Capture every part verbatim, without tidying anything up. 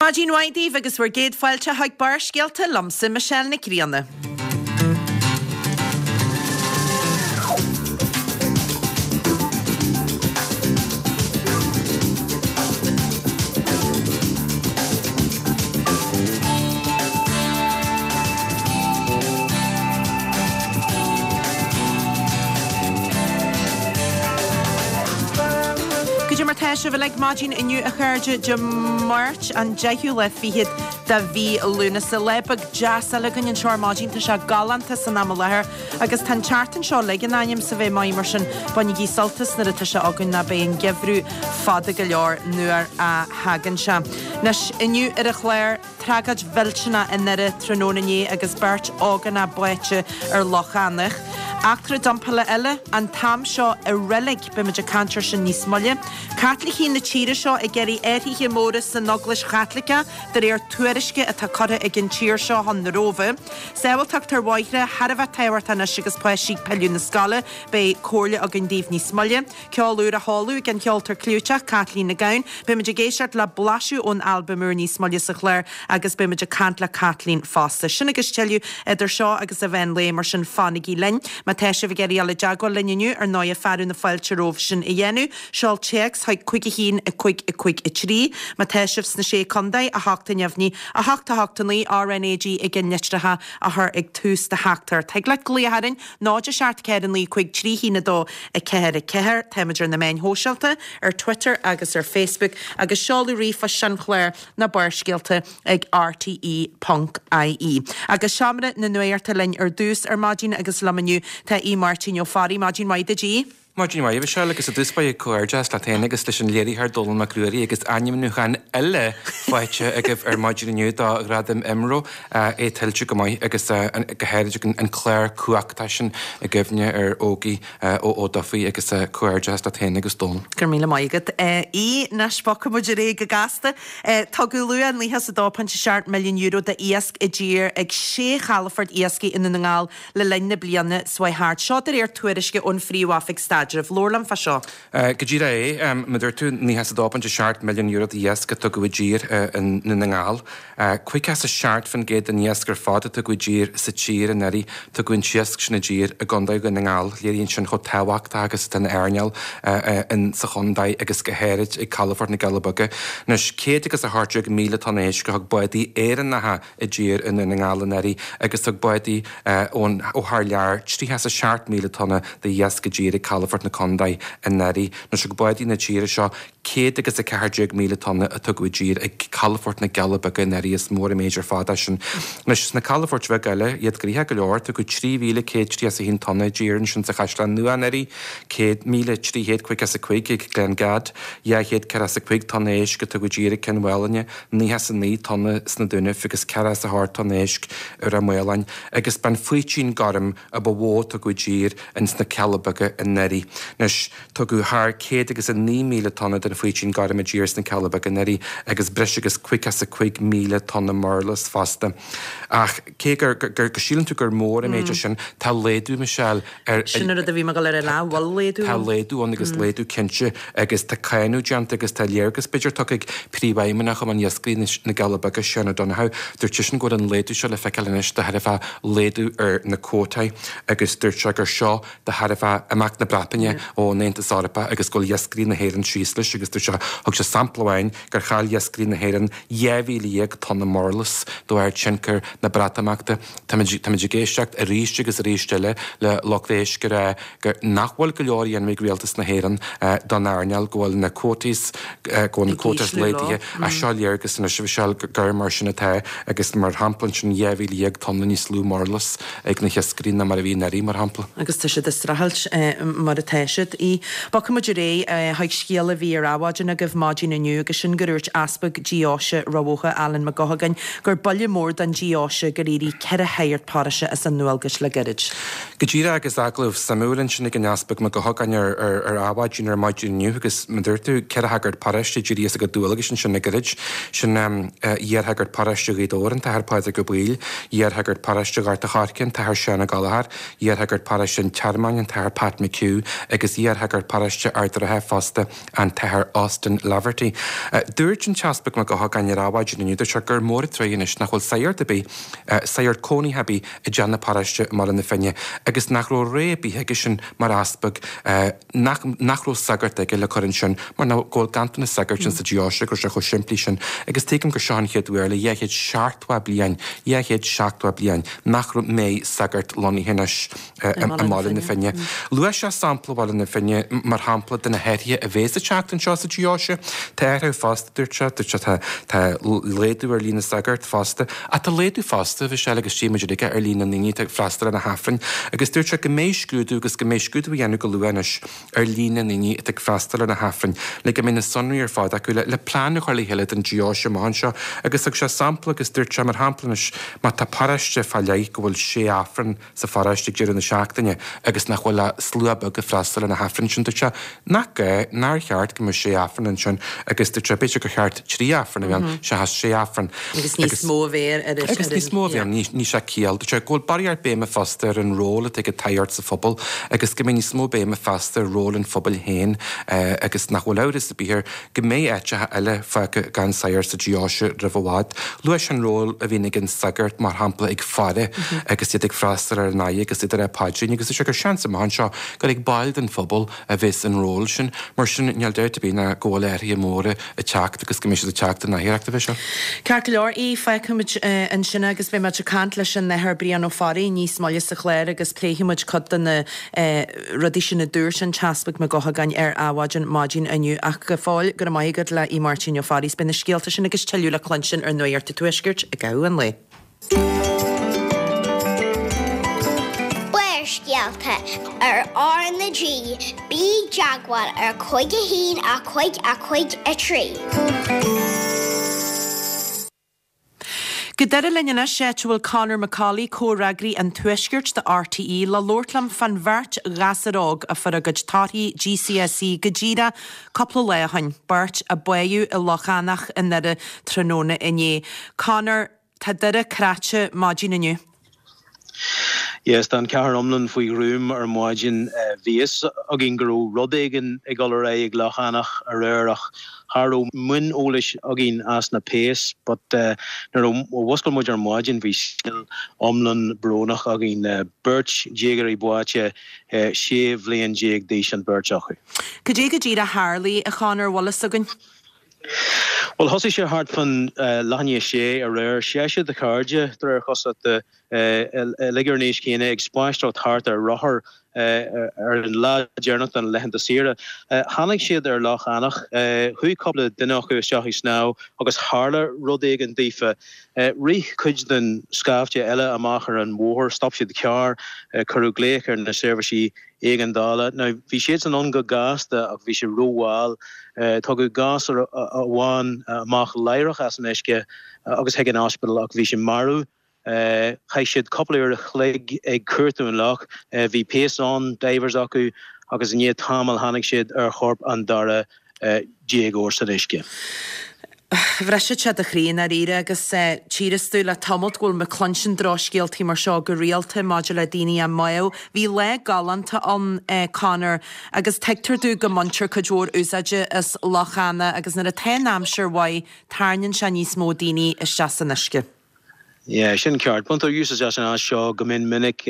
Maidin mhaith daoibh agus bhur gcéad fáilte chuig Barrscéalta liomsa Michelle Nic Grianna. Goidé mar tá sibh uilig maidin inniu a chairde Dé Máirt an deichiú lá fichead de mhí Lúnasa. Lá beag deas eile againn anseo ar maidin, tá sé galánta san am i láthair agus tá an tseachtain seo uilig in ainm is a bheith maith mar sin bainigí sult as nuair atá sé againn ná beidh an geimhreadh fada go leor nuair a thagann sé. Anois inniu ar an chlár, Tragóid mhillteanach i nDoire tráthnóna inné agus beirt ógánach báite ar Loch Eanach. Eachtra dumpála eile an t-am seo i reilig, beimid ag caint air sin níos moille. Caitlicigh na tíre seo ag iarraidh athruithe móra san Eaglais Chaitliceach de réir tuairisce atá curtha ag an tír seo chun na Róimhe. Sábháilteacht ar bhóithre thar a bheith tábhachtach anois agus páistí ag pilleadh na scoile, beidh comhairle againn daoibh níos moille. Ceol úr á sheoladh ag an cheoltóir clúiteach Caitlín Nic Gabhann. Beimid ag éisteacht le blaiseadh ón albam úr níos moille sa chlár agus beimid ag caint le Caitlín fosta. Sin agus tuilleadh idir seo agus an mheán lae, mar sin fanaigí linn. Má tá sibh ag iarraidh dul i dteagmháil linn inniu, ar ndóighe fearadh na fáilte romhaibh sin a dhéanamh. Seol téacs chuig cúig a haon a cúig a cúig a trí. Má tá sibh sna Sé Contae, a hocht a neamhní, a hocht a hocht a naoi, RnaG i gceannlitreacha a chur ag tús do theachtaireacht. Thig leat glaoch orainn, náid a seacht ceathair a naoi cúig trí haon a dó a ceathair a ceathair. Táimid ar na meáin shóisialta, ar Twitter agus ar Facebook, agus seoladh ríomhphost an chláir ná Barrscéalta ag rte ponc ie. Agus seomra na nuachta linn ar dtús ar maidin agus liom inniu tá Aodh Máirtín Ó Fearraigh. Maidin mhaith duit, Aodh. Maidin mhaith, a Mhichelle, agus i dtús báire comhghairdeas leat féin agus leis an léiritheoir Dónall Mac Ruairí agus ainmniúchán eile faighte agaibh ar maidin inniu do Ghradam IMRO, é tuillte go maith agus go háirid an clár cumhachtach sin i gcuimhne ar Ógie Ó Ó Dufaigh agus comhghairdeas leat féin agus Dónall. Go raibh míle maith agat. Aodh, anois bogfaidh muid ar aghaidh go gasta. Tugadh luach nócha is a dó pointe seacht milliún euro d'iasc i dtír ag sé chalafort iascaigh i nDún na nGall le linn na bliana seo chuaigh thart. Seo de réir tuairisce ón Phríomh-Oifig Staidrimh. Labhair liom fá seo. Go díreach é. Mar a dúirt tú, nócha is a dó pointe seacht milliún euro d'iasc a tugadh i dtír i nDún na nGall. Caoga is a seacht faoin gcéad den iasc ar fad a tugadh i dtír sa tír anuraidh, tugadh an t-iasc sin i dtír i gContae Dhún na nGall. Léiríonn sin chomh tábhachtach agus atá an earnáil sa chontae agus go háirid ag Calafort na gCealla Beaga. Anois, céad agus a hocht déag míle tonna éisc a thug bádaí Éireannacha i dtír i nDún na nGall anuraidh agus thug bádaí ón ó thar lear tríocha is a seacht míle tonna de iasc i dtír ag calafort na contae anuraidh. Anois thug bádaí na tíre seo céad agus a ceathair déag míle tonna a tugadh i dtír ag calafort na gCealla Beaga anuraidh, is mór an méid ar fad é sin. Anois sna calafoirt bheaga eile, iad gnoitheach go leor, tugadh trí mhíle céad tríocha is a haon tonna i dtír ansin sa Chaisleán Nua anuraidh, céad míle trí chéad caoga is a cúig ag Glengad, dhá chéad ceathracha is a cúig tonna éisc a tugadh i dtír ag Cionn Mhálanna, nócha is a naoi tonna sna Dúnaibh agus ceathracha is a hocht tonna éisc i Ráth Maoláin, agus b'an faoitín gorm a ba mhó a tugadh i dtír ins na Cealla Beaga anuraidh. Anois, tugadh thar céad agus a naoi míle tonna den faoitín gorm i dtír sna Cealla Beaga anuraidh agus breis agus caoga is a cúig míle tonna murlas fosta. Ach cé gur, gur, go síleann tú gur mór an méid é sin, tá laghdú, Michelle, ar, Sin an rud a bhí mé ag dul a rá, an bhfuil laghdú Tá ann? laghdú ann agus laghdú cinnte agus tá cáineadh déanta agus tá léargas b'fhéidir tugtha ag Príomhfheidhmeannach Chumann Iascairí na gCealla Beaga, Seán O'Donoghue. Dúirt seisean go bhfuil an laghdú seo le feiceáil anois de thairbhe laghdú ar na cuótaí agus dúirt sé gur seo de thairbhe imeacht na Breataine ón Aontas Eorpach agus go bhfuil iascairí na hÉireann síos leis agus dúirt sé, thug sé sampla amháin gur chaill iascairí na hÉireann dhá mhíle dhéag tonna murlas de bharr tionchar na Breatimeachta. Táimid, táimid ag éisteacht arís agus arís eile le lucht éisc ag rá gur, nach bhfuil go leor á dhéanamh ag rialtas na hÉireann don earnáil, go bhfuil na quotas, go bhfuil na quotas laghdaithe. Ach seo léargas anois, a Mhichelle, gur mar sin atá agus mar shampla ansin dhá mhíle dhéag tonna níos lú murlas ag na hiascairí ná mar a bhí anuraidh, mar shampla. Agus tá siad ag streachailt mar atá siad. Bogfaidh muid ar aghaidh chuig scéal a bhí ar Adhmhaidin agaibh maidin inniu agus sin gur dhúirt Easpag Deoise Ráth Bhoth, Alan Mac Guthagáin, gur buille mór don deoise gur éirigh ceithre shagart paróiste as a ndualgais le gairid. Go díreach agus agallamh suimiúil ansin ag an Easpag Mac Guthagáin ar ar Adhmhaidin ar maidin inniu agus mar a dúirt tú, ceithre shagart paróiste d'éirigh as a gcuid dualgais ansin le gairid. Sin iarshagart paróiste Ghaoth Dobhair, an tAthair Pádraig Ó Baoill, iarshagart paróiste Ghort a' Choirce, an tAthair Seán Ó Gallchóir, iarshagart paróiste an Tearmainn, an tAthair Pat McHugh agus iarshagart paróiste Ard an Rátha fosta, an tAthair Austin Laverty. Dúirt an tEaspag Mac Eochagáin ar Adhmhaidin inniu, dúirt sé gur mór an truaighe anois nach bhfuil sagart ar bith, sagart cónaithe ar bith i dteach na paróiste i mBaile na Finne agus nach raibh rogha ar bith aigesean mar easpag nach nach raibh sagart aige le cur ansin mar go bhfuil ganntanas sagairt insa deoise, go raibh sé chomh simplí sin agus tuigim gur seo an chéad uair le dhá chéad seachtó bliain, dhá chéad seachtó bliain, nach mbeidh sagart lonnaithe anois i mBaile na Finne. Luaigh sé sampla Bhaile na Finne mar shampla de na hathruithe a bheas ag teacht anseo sa deoise. Tá athruithe fosta, dúirt sé, dúirt sé, tá tá laghdú ar líon na sagart fosta, ach tá laghdú fosta, a Mhichelle agus tchí muid uilig é, ar líon na ndaoine atá ag freastal ar na hAifrinn agus dúirt sé go mbeidh scrúdú agus go mbeidh scrúdú a dhéanamh go luath anois ar líon na ndaoine atá ag freastal ar na hAifrinn le go mbeidh na sonraí ar fad acu le le plean a chur le chéile don deoise amach anseo agus thug sé sampla agus dúirt sé mar shampla anois má tá paróiste fá leith go bhfuil sé Aifreann sa pharóiste ag deireadh na seachtaine agus nach bhfuil ach slua beag ag freastal ar na hAifrinn sin dúirt sé nach gá nár cheart go mbeadh sé Aifreann ansin agus dúirt sé b'fhéidir gur cheart trí Aifreann a bheith ann seachas sé Aifreann. Agus níos mó a bheith ar Agus níos mó a bheith ann ní sé ciall. Dúirt sé go bhfuil barraíocht béime fosta ar an ról atá ag an tsagart sa phobal agus go mbeidh níos mó béime feasta ar ról an phobail féin agus nach bhfuil amhras ar bith air go mbeidh áiteacha eile fágtha gan sagart sa deoise roimh i bhfad. Luaigh sé an ról a bhíonn ag an sagart, mar shampla, ag faire agus iad ag freastal ar an fhaire agus iad ag rá paidríní agus dúirt sé gur seans amach anseo gur ag baill den phobal a bheas an ról sin. Mar sin, níl dabht ar bith ná go bhfuil athruithe móra ag teacht agus go mbeidh siad ag teacht an oidhreacht a bheith seo. Ceart go leor, í, fágfaimid ansin é agus beidh muid ag caint leis an Athair Brian Ó Fearraigh níos moille sa chlár agus pléifidh muid cuid de na rudaí sin a dúirt an tEaspag Mac Eochagáin ar Adhmhaidin maidin inniu. Ach go fóill, go raibh maith agat le Aodh Máirtín Ó Fearraigh. Beidh na scéalta sin agus tuilleadh le cluinstin ar Nuacht an Tuaiscirt i gcaitheamh an lae. Barrscéalta ar R na G, bí i dteagmháil ar cúig a haon a cúig a cúig a trí. Go Doire linn anois, áit a bhfuil Conor McCauley, comhfhreagraí an Tuaiscirt do RTÉ, le labhairt liom fán bheirt ghasúr óg a fuair a gcuid torthaí GCSE go díreach cúpla lá ó shin, beirt a báitheadh i Loch Eanach i nDoire tráthnóna inné. Conor, tá Doire cráite maidin inniu. Yes, tá an chathair iomlán faoi ghruaim ar maidin. Bhí fhios againn go raibh rud éigin ag dul ar aghaidh ag Loch Eanach aréir ach cha raibh mionn eolais againn as na péas but nuair a mhuscail muid ar maidin bhí scéal iomlán brónach againn. Beirt déagóirí báite, sé bhliain déag d'aois an beirt acu. Cad é go díreach a tharlaigh, a Chonor, bhfuil fhios againn? Bhuel, thosaigh sé thart fan leath i ndiaidh a sé aréir. Seisear de chairde, de réir cosúlachta, uilig ar an aois chéanna, ag spaisteoireacht thart ar rothar ar an lá deireanach de na laethanta saoire. Tháinig siad ar Loch Eanach. Chuaigh cúpla duine acu isteach ag snámh agus tharla rud éigin daofa. Rith cuid den scaifte eile amach ar an bhóthar, stop siad carr, cuireadh glaoch ar na seirbhísí éigeandála. Now, bhí siadsan ann go gasta ach bhí sé rómhall. Tugadh gasúr amháin amach láithreach as an uisce agus chuig an ospidéal ach bhí sé marbh. Chaith siad cúpla uair a chloig ag cuartú an loch. Bhí péas ann, divers acu agus i ndiaidh tamaill tháinig siad ar chorp an dara déagóir san uisce. Bhrisfeadh sé do chroí i ndáiríre agus tchíos tú le tamalt go bhfuil mé ag cluinstin drochscéaltaí mar seo go rialta maidir le daoine á mbáthadh. Bhí lá galánta ann, Conor, agus tuigtear domh go mbaintear cuid mhór úsáide as Loch Eanach agus nuair atá an aimsir mhaith tarraingíonn sé níos mó daoine isteach san uisce. Yeah, sin ceart. Baintear úsáid as an áit seo go mion minic.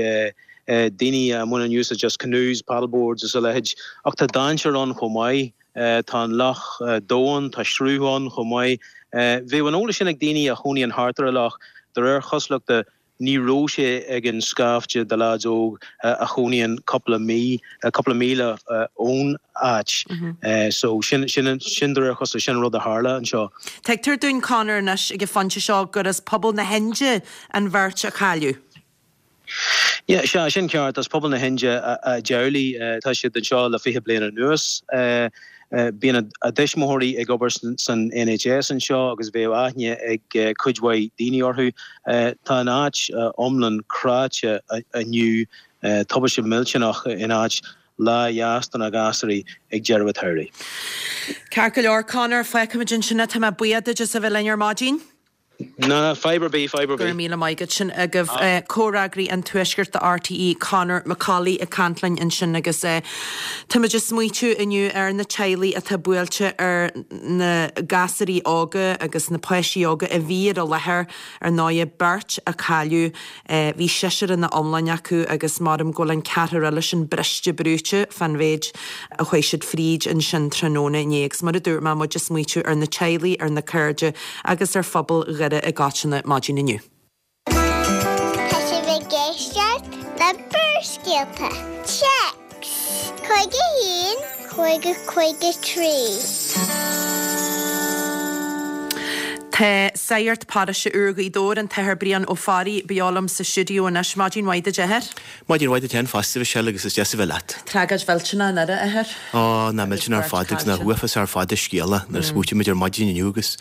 Daoine a mbaineann úsáid as canoes, paddleboards is a leithéid. Ach tá dainséar ann chomh maith. Tá an loch domhain, tá sruth ann chomh maith. Bheadh an eolas sin ag daoine a chónaíonn thart ar an loch. De réir chosúlachta, ní raibh sé ag an scaifte de leaids óg a chónaíonn cúpla mí, cúpla míle ón áit. So sin, sin, sin de réir chosúlachta, sin an rud a tharla anseo. Tuigtear dúinn, Conor, anois ag an phointe seo gur as pobal na hIndia an bheirt a cailleadh. Yeah, sea, sin ceart. As pobal na hIndia a dteaghlaigh. Tá siad anseo le fiche bliain anuas. Bíonn a dtuismitheoirí ag obair san NHS anseo agus bheadh aithne ag cuid mhaith daoine orthu. Tá an áit iomlán cráite inniu. Tubaiste millteanach in áit lá dheas do na gasúirí ag deireadh an tsamhraidh. Ceart go leor, Conor, fágfaimid ansin é. Tá mé buíoch duit as a bheith linn ar maidin. Ná, fadhb ar bith, fadhb ar Go raibh bith. míle maith agat. Sin agaibh comhfhreagraí an Tuaiscirt do RTÉ, Conor McCauley ag caint linn ansin agus táimid ag smaoitiú inniu ar na teaghlaigh atá buailte ar na gasúirí óga agus na páistí óga a bhí ar an láthair, ar ndóighe, beirt a cailleadh, bhí seisear ina iomláine acu agus maram go bhfuil an ceathrar eile sin briste brúite fán mhéid a chuaigh siad fríd ansin tráthnóna inné agus mar a dúirt mé, muid ag smaoitiú ar na teaghlaigh, ar na cairde agus ar phobal Dhoire i gcoitinne maidin inniu. Tá sibh ag éisteacht le Barrscéalta. Téacs cúig a haon, cúig a cúig a trí. Tá Sagart Paróiste úr Ghaoth Dobhair, an tAthair Brian Ó Fearraigh, beo liom sa stiúideo anois. Maidin mhaith duit, a Athair. Maidin mhaith duit féin fosta, a Mhichelle, agus is deas a bheith leat. Tragóid mhillteanach anuraidh, a Athair. Ó, nach millteanach ar fad agus nach uafás ar fad an scéal é nuair a smaoitímid ar maidin inniu agus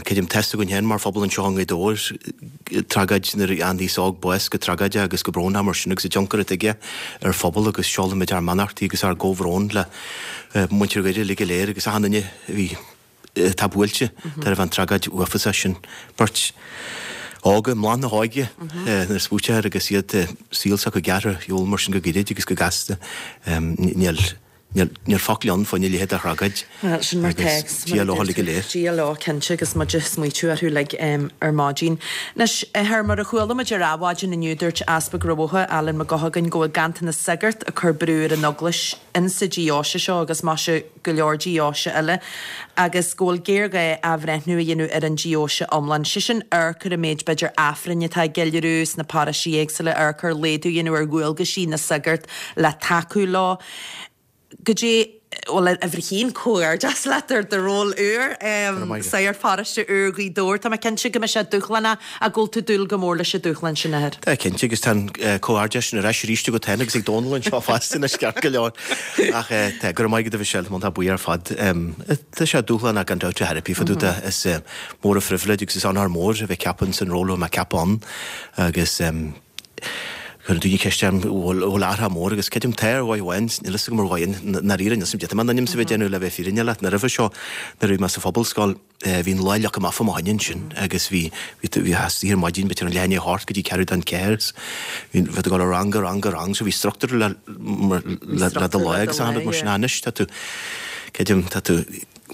creidim tá fhios againn féin mar phobal anseo i nGaoth Dobhair, tragóid nuair a fhaigheann aos óg bás go tragóideach agus go brónach mar sin agus an tionchar atá aige ar phobal agus seolaimid ár mbeannachtaí agus ár gcomhbhrón le muintir Dhoire uilig go léir agus achan duine a bhí atá buailte tairbhe an tragóid uafásach sin. Beirt óga i mbláth na hóige nuair a smaoitear air agus iad saol s'acu gearrtha ar shiúl mar sin go gairid agus go gasta. Níl níl focal ann faoina leithéid de thragóid. Bhuel, sin mar tá agus Dia leo uilig go léir. Dia leo, cinnte, agus muid ag smaoitiú orthu uilig ar maidin. Anois, a Athair, mar a chuala muid ar Adhmhaidin inniu, dúirt Easpag Rath Bhotha, Alan Mac Guthagáin, go bhfuil ganntanas sagart ag cur brú ar an Eaglais insa deoise seo agus maise go leor deoise eile agus go bhfuil géarghá athbhreithniú a dhéanamh ar an deoise iomlán, sé sin amharc ar an méid b'fhéidir Aifrinn atá á gceiliúradh sna paróistí éagsúla, amharc ar laghdú a dhéanamh ar dhualgaisí na sagart le tacú leo. Goidé, bhuel, uimhir a haon, comhghairdeas leat ar do ról úr, Sagart Paróiste úr Ghaoth Dobhair. Tá mé cinnte go mbeidh sé dúshlánach ach go bhfuil tú ag dúil go mór leis an dúshlán sin, a Athair. Tá, cinnte, agus tá an comhghairdeas sin ar ais arís agat féin agus ag Dónal anseo fosta anois ceart go leor. Ach tá, go raibh maith agat a Mhichelle, tá buí ar fad. Tá sé dúshlánach gan dabht ar bith fá dtaobh de. Is mór an phribhléid agus is onóir mór a bheith ceaptha ins an ról a bhfuil mé ceaptha ann agus Cuireann daoine ceist orm an bhfuil athrú mór agus creidim tá ar dhóigh amháin, níl fhios agam ar dhóigh i ndáiríre níl fhios agam cad é mar a bheith déanamh le bheith fírinneach leat. Nó roimhe seo nuair a bhí mé sa phobalscoil bhí an lá leagtha amach fá mo choinne ansin agus bhí bhí tú bhí istoíche ar maidin b'fhéidir ón leath i ndiaidh a hocht go dtí ceathrú don ceathair is bhí bhí tú ag dul ó rang go rang go rang so bhí struchtúr le le le do lá agus achan rud mar sin anois tá tú creidim tá tú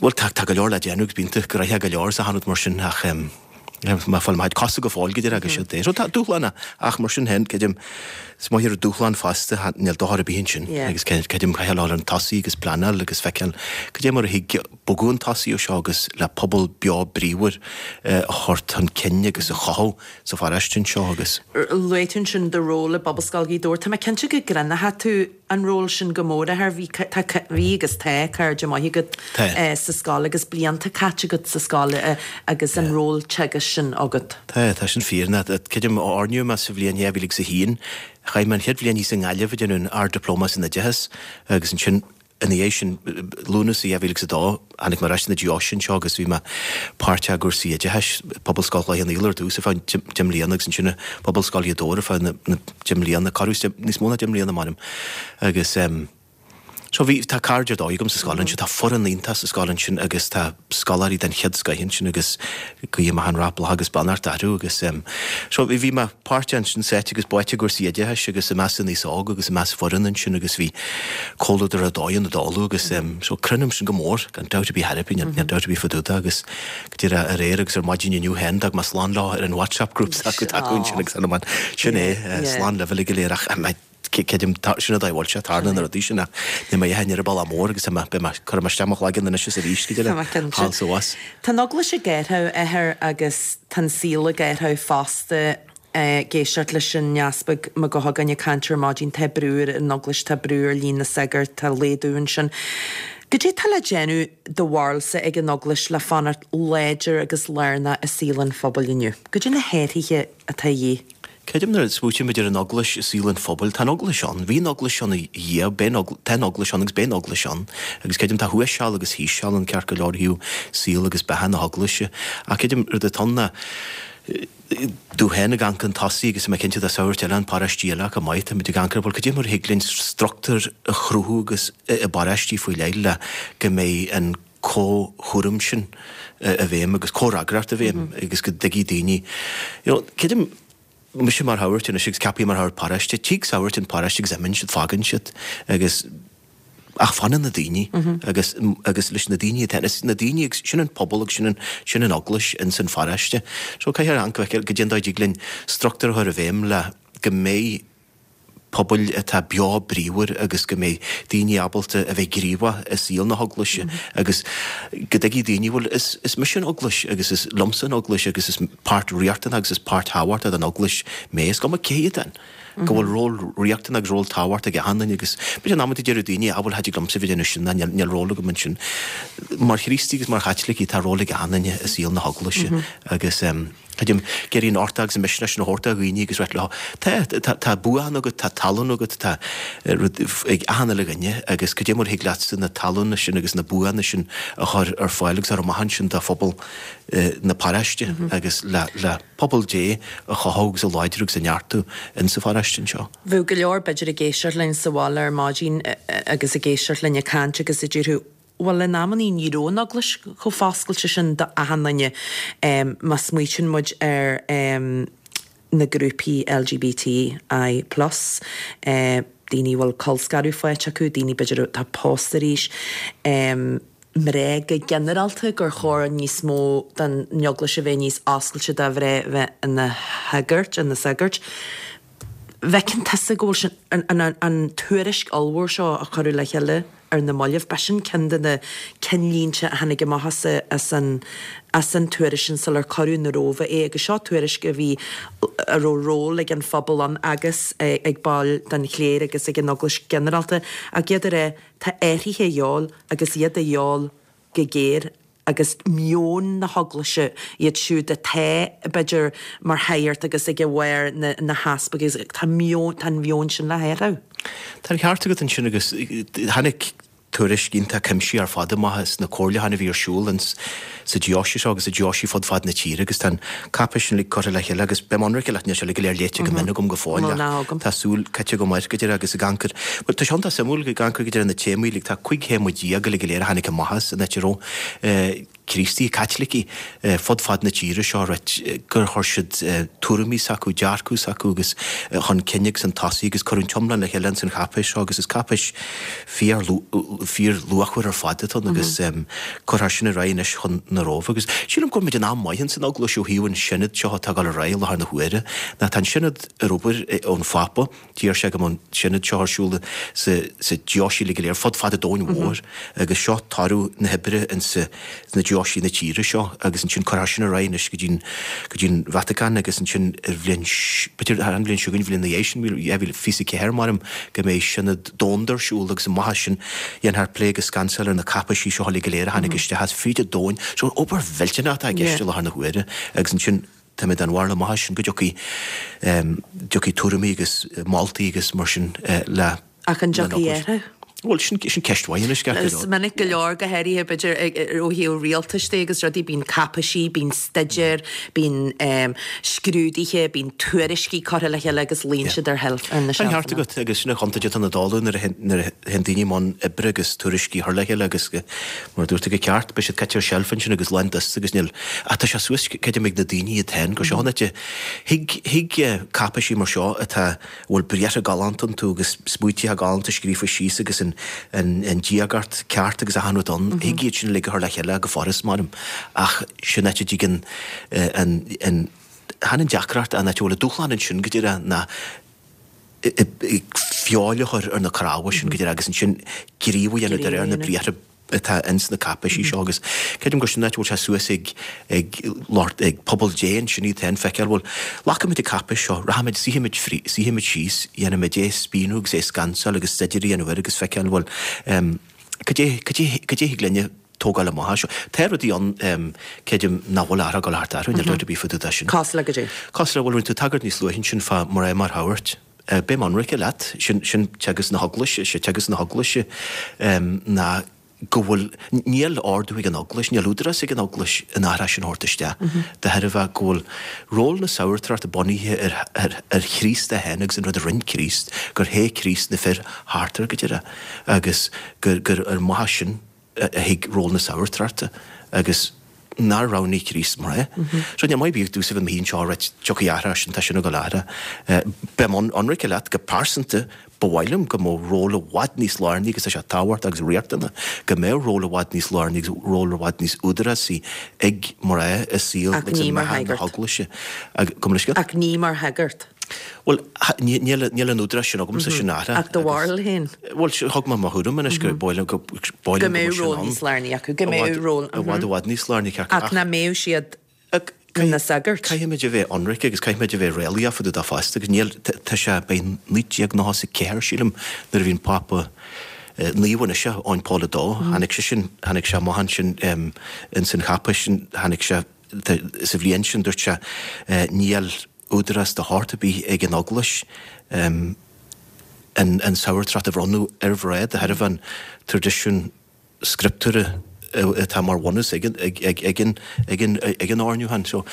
bhuel tá tá go leor le déanamh agus bíonn tú gnoitheach go leor is achan rud mar sin ach Má fáil maith cosa go fóill go deireadh agus siad é. So tá dúshlán ach mar sin féin, creidim, is maith ar dúshlán fosta, níl dochar ar bith ansin agus creidim caithfidh a dhul chun tosaigh agus pleanáil agus feiceáil cad é mar a thig bogadh chun tosaigh ó seo agus le pobal beo bríomhar a chur chun cinn agus a chothú sa pharóiste anseo agus. Luaigh tú ansin do ról i bPobalscoil Ghaoth Dobhair. Tá mé cinnte go gcruinneoidh tú an ról sin go mór, a Athair. Bhí, tá, bhí agus tá cairde maithe agat sa scoil agus blianta caite agat sa scoil agus an ról teagaisc sin agat. Tá, tá sin fíor. Creidim, oirníodh mé sa bhliain dhá mhíle agus a haon. Chaith mé an chéad bhliain thíos i nGaillimh ag déanamh an Ard-Dioplóma san Oideachas agus ansin ina dhiaidh sin, Lúnasa dhá mhíle agus a dó, tháinig mé ar ais na deoise anseo agus bhí mé páirteach i gcúrsaí oideachais, Pobalscoil Chloich Cheann Fhaola ar dtús ar feadh deich mbliana agus ansin Pobalscoil Ghaoth Dobhair ar feadh na deich mbliana, corradh níos mó ná deich mbliana m'anam. Agus so bhí, tá cairde ar dóigh agam sa scoil ansin, tá foireann iontach sa scoil ansin agus tá scoláirí den chéad scoith ansin agus guím achan rath, bláth agus beannacht orthu agus so bhí mé páirteach ansin sáite agus báite i gcúrsaí oideachais agus i measc an aos óg agus i measc foireann ansin agus bhí comhluadar ar dóigh ann i dtólamh agus so cronaim sin go mór gan dabht ar bith ar bith, níl dabht ar bith fá dtaobh de agus go díreach aréir agus ar maidin inniu féin d'fhág mé slán leo ar an WhatsApp group s'acu acu ansin agus an sin é slán libh uilig go léir ach Creidim, sin an dóigh a bhfuil sé, tarlaíonn na rudaí sin ach níl mé ar an bealach mór agus tá mé, beidh mé, cuirfidh mé isteach mo chloigeann anois is arís go dtí Tá mé cinnte. thall is abhus. Tá an Eaglais ag athrú, a Athair, agus tá an saol ag athrú fosta. Ag éisteacht leis an Easpag Mac Guthagáin ag caint ar maidin, tá brú ar an Eaglais, tá brú ar líon na sagart, tá laghdú ansin. Goidé tá le déanamh do bharúilsa ag an Eaglais le fanacht láidir agus lárnach i saol an phobail inniu? Goidé na hathruithe atá a dhíth? Creidim nuair a smaoitímid ar an Eaglais i saol an phobail, tá an Eaglais ann, bhí an Eaglais ann a Dhia, beidh an tá an Eaglais ann agus beidh an Eaglais ann. Agus creidim tá thuas seal agus thíos seal ann ceart go leor ó thaobh saol agus beatha na hEaglaise. Ach creidim rud atá ann ná domh féin ag amharc chun tosaigh agus tá mé cinnte do shagairt eile in paróistí eile chomh maith, táimid ag amharc ar bhuel cad é mar a thig linn struchtúr a chruthú agus i bparóistí faoi leith le go mbeidh an comhchúram sin i bhfeidhm agus comhfhreagracht i bhfeidhm agus go dtuigfidh daoine, you know, creidim mise mar shagart anois agus ceapaim mar shagart paráiste, tig sagairt an paráiste agus imíonn siad, fágann siad agus ach fanann na daoine agus agus leis na daoine atá is na daoine agus sin an pobal agus sin an sin an eaglais ins an pharáiste. So caithfear amharc go goidé an dóigh a dtig linn struchtúr a chur i bhfeidhm le go mbeidh pobail atá beo bríomhar agus go mbeidh daoine ábalta a bheith gníomhach i saol na heaglaise agus go dtuigfidh daoine, bhuel, is is mise an eaglais agus is liomsa an eaglais agus is páirt riachtanach agus is páirt thábhachtach den eaglais mé, is cuma cé hiad ann. go bhfuil ról riachtanach agus ról tábhachtach ag achan duine agus b'fhéidir in amanta deireadh daoine, ah bhuel, cha dtig liomsa bheith ag déanamh sin ná níl níl ról agam ansin. Mar Chríostaí agus mar Chaitlicigh tá ról ag achan duine i saol na heaglaise agus creidim ag iarraidh an uchtach agus an misneach sin a thabhairt do dhaoine agus rá leo, tá tá tá buanna agat, tá tallann agat, tá rud ag achan uile dhuine agus cad é mar a thig leatsa na tallanna sin agus na buanna sin a chur ar fáil agus a chur amach ansin do phobal na paráiste agus le le pobal Dé a chothú agus a láidriú agus a neartú insa pharáiste anseo. Bheadh go leor b'fhéidir ag éisteacht linn sa bhaile ar maidin agus ag éisteacht linn ag caint agus a déarfadh, bhuel in amannaí ní raibh an Eaglais chomh foscailte sin do achan duine má smaoitíonn muid ar na grúpaí LGBTI plus, daoine a bhfuil colscaradh faighte acu, daoine b'fhéidir atá pósta arís. mná go ginearálta gur chóir níos mó den Eaglais a bheith níos oscailte do mhná bheith ina sagairt, ina sagairt. Bhfeiceann tusa go bhfuil sin, an, an, an tuairisc ollmhór seo a cuireadh le chéile ar na mallaibh, b'shin ceann de na cinnlínte a tháinig amach as, as an, as an tuairisc sin sular cuireadh na Róimhe é agus seo tuairisc a bhí, a raibh ról ag an phobal ann agus ag baill den chléir agus ag an Eaglais ginearálta ach iad a rá Tá athruithe a dhíobháil agus iad a dhíobháil go géar agus meon na hEaglaise, iad siúd atá, b'fhéidir, mar shagairt agus ag bharr na na heaspaig agus tá meon, tá an mheon sin le hathrú. Tá an ceart agat ansin agus tháinig tuairisc iontach cuimsitheach ar fad amach as na comhairliúcháin a bhí ar siúl ins sa deoise seo agus i deoisí fud fad na tíre agus tá an cáipéis sin uilig curtha le chéile agus beidh mé ionraic leat níl sé uilig go léir léite go mion agam go fóill ach tá súil caite agam air go deireadh agus ag amharc air bhuel tá sé iontach suimiúil ag amharc go deireadh na téamaí uilig tá cúig théama déag uilig go léir a tháinig amach as an áit a raibh Críostaí, Caitlicigh fud fad na tíre seo right gur chuir siad tuairimí s'acu, dearcadh s'acu agus chun cinn agus chun tosaigh agus cuireadh an t-iomlán le chéile ins an cháipéis seo agus is cáipéis fíor fíor-luachmhar ar fad atá ann agus cuirfear sin ar aghaidh anois chun na Róimhe agus sílim go bhfuil muid in am maith ins an Eaglais ó thaobh an Sionad seo atá ag dul ar aghaidh i láthair na huaire ná tá an Sionad ar obair ón Phápa D'iarr sé go mbeadh an Sionad seo ar siúl sa sa deoisí uilig go léir fud fad an domhain mhóir agus seo toradh na hoibre insa sna deoisí na tíre seo agus ansin cuirfear sin ar aghaidh anois go dtí an go dtí an Vatacáin agus ansin ar bhliain b'fhéidir an bhliain seo chugainn an bhliain ina dhiaidh sin dhá mhíle fiche a ceathair maram go mbeidh Sionad Domhanda ar siúl agus amach as sin dhéanfar plé agus scansáil ar na cáipéisí seo uilig go léir a tháinig isteach as fríd an domhain. So obair mhillteanach atá i gceist i láthair na huaire agus ansin Tá mé den bharúil amach as sin go dtiocfaidh dtiocfaidh tuairimí agus moltaí agus mar sin le Ach an dtiocfaidh athrú? Bhuel, sin sin ceist mhaith anois, ceart go Is leor. minic go leor, go háirithe b'fhéidir ó thaobh rialtais de agus rudaí, bíonn cáipéisí, bíonn staidéir, bíonn scrúduithe, bíonn tuairiscí curtha le chéile agus luíonn siad ar sheilf, ar na Tá an ceart seilfeanna. agat agus sin an chontúirt atá ann i dtólamh nuair a nuair a théann daoine i mbun oibre agus tuairiscí a chur le chéile agus go, mar a dúirt tú go ceart, beidh siad caite ar seilf ansin agus lán dusta agus níl, ach tá sé suas, creidim, ag na daoine iad féin gur seo an áit a thig, thig cáipéisí mar seo atá, a bhfuil briathra galánta iontu agus smaoitithe galánta scríofa síos agus an, an, an diagacht ceart agus achan rud ann, thig iad sin uilig a chur le chéile go furast, maram, ach sin áit a dtig an, an, an, chan an deacracht, an áit a bhfuil an dúshlán ansin go díreach ná feoil a chur ar na cnámha sin go díreach agus ansin gníomh a dhéanamh de réir na briathra atá ins na cáipéisí seo agus creidim gur sin an áit a bhfuil sé suas ag ag lucht ag pobal Dé ansin iad féin feiceáil bhuel glacfaimid an cáipéis seo rachaimid suífimid frí suífimid síos dhéanfaimid é a spíonadh agus é a scansáil agus staidéar a dhéanamh air agus feiceáil bhuel cad é cad é cad é thig linne tógáil amach as seo. Tá rudaí ann creidim nach bhfuil athrú ag dul thart orthu, níl dabht ar bith fá dtaobh de sin. Cosúil le goidé? Cosúil le, bhuel, rinne tú tagairt níos luaithe ansin fá mná mar shagairt. Beidh mé ionraice leat, sin, sin teagasc na hEaglaise, is é teagasc na hEaglaise ná go bhfuil, níl ordú ag an Eaglais, níl údarás ag an Eaglais an athrá sin a thabhairt isteach, de thairbhe go bhfuil ról na sagartachta bunaithe ar, ar, ar Chríost é féin agus an rud a rinne Críost, gur hé Críost na fir thart air go deireadh agus gur, gur ar mhaithe sin. a thuig ról na sabhartrachta agus nár roghnaigh Críost mná. So níl maith bíodh dús a bheith mín seo reit tiocfaidh athrá sin tá sin ag dul athrá. Beim ionraice leat go pearsanta ba mhaith liom go mbeadh ról i bhfad níos lárnaí agus tá sé tábhachtach agus riachtanach go mbeadh ról i bhfad níos lárnaí agus ról i bhfad níos údarásaí ag mná i saol Ach agus ní i mar mbeatha na shagart. hEaglaise. Gabh mo leithscéal. Ach ní mar shagart. Bhuel, níl níl an údarás sin agamsa sin athrá. Ach do bharúil féin? Bhuel, thug mé mo thuairim anois go b'áil liom go b'áil Go liom go mbeadh mbeadh sin ról ann. níos lárnaí acu, go I mbeadh bhfad ról, i bhfad i bhfad níos lárnaí acu Ach ach nach mbeadh siad ina sagairt. Caithfimid a bheith ionraic agus caithfimid a bheith réalaíoch fá dtaobh de fosta agus níl tá sé beidh naoi déag nócha is a ceathair sílim nuair a bhí an Pápa Naomh anois Eoin Paul a dó tháinig sé sin tháinig sé amach ansin ins an cháipéis sin tháinig sé sa bhliain sin dúirt sé níl údarás de shórt ar bith ag an Eaglais an an sabhartracht a bhronnadh ar mhná de thairbhe an traidisiún scrioptúrtha atá mar bhunús ag an ag ag an ag an ag an oirniúchán. So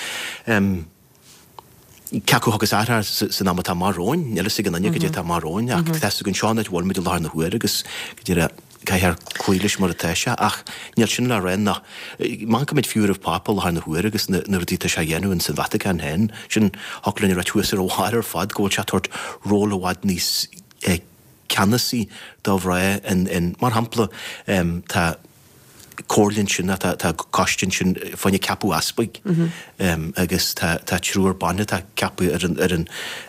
cé acu a thiocfas athrá san am atá amach romhainn, níl a fhios ag aon duine cad é atá amach romhainn ach tá a fhios againn seo an áit a bhfuil muid i láthair na huaire agus go díreach caithfear cloí leis mar atá sé ach níl sin le rá nach má amharcann muid fiú ar an Phápa i láthair na huaire agus na na rudaí atá sé a dhéanamh ins an Vatacáin féin, sin thiocfadh linn a ráit thuas ar a bharr ar fad go bhfuil sé ag tabhairt ról i bhfad níos ceannasaí do mhná in in mar shampla tá comhairle ansin tá tá coiste ansin fá choinne ceapadh easpaig agus tá tá triúr ban atá ceaptha ar an ar an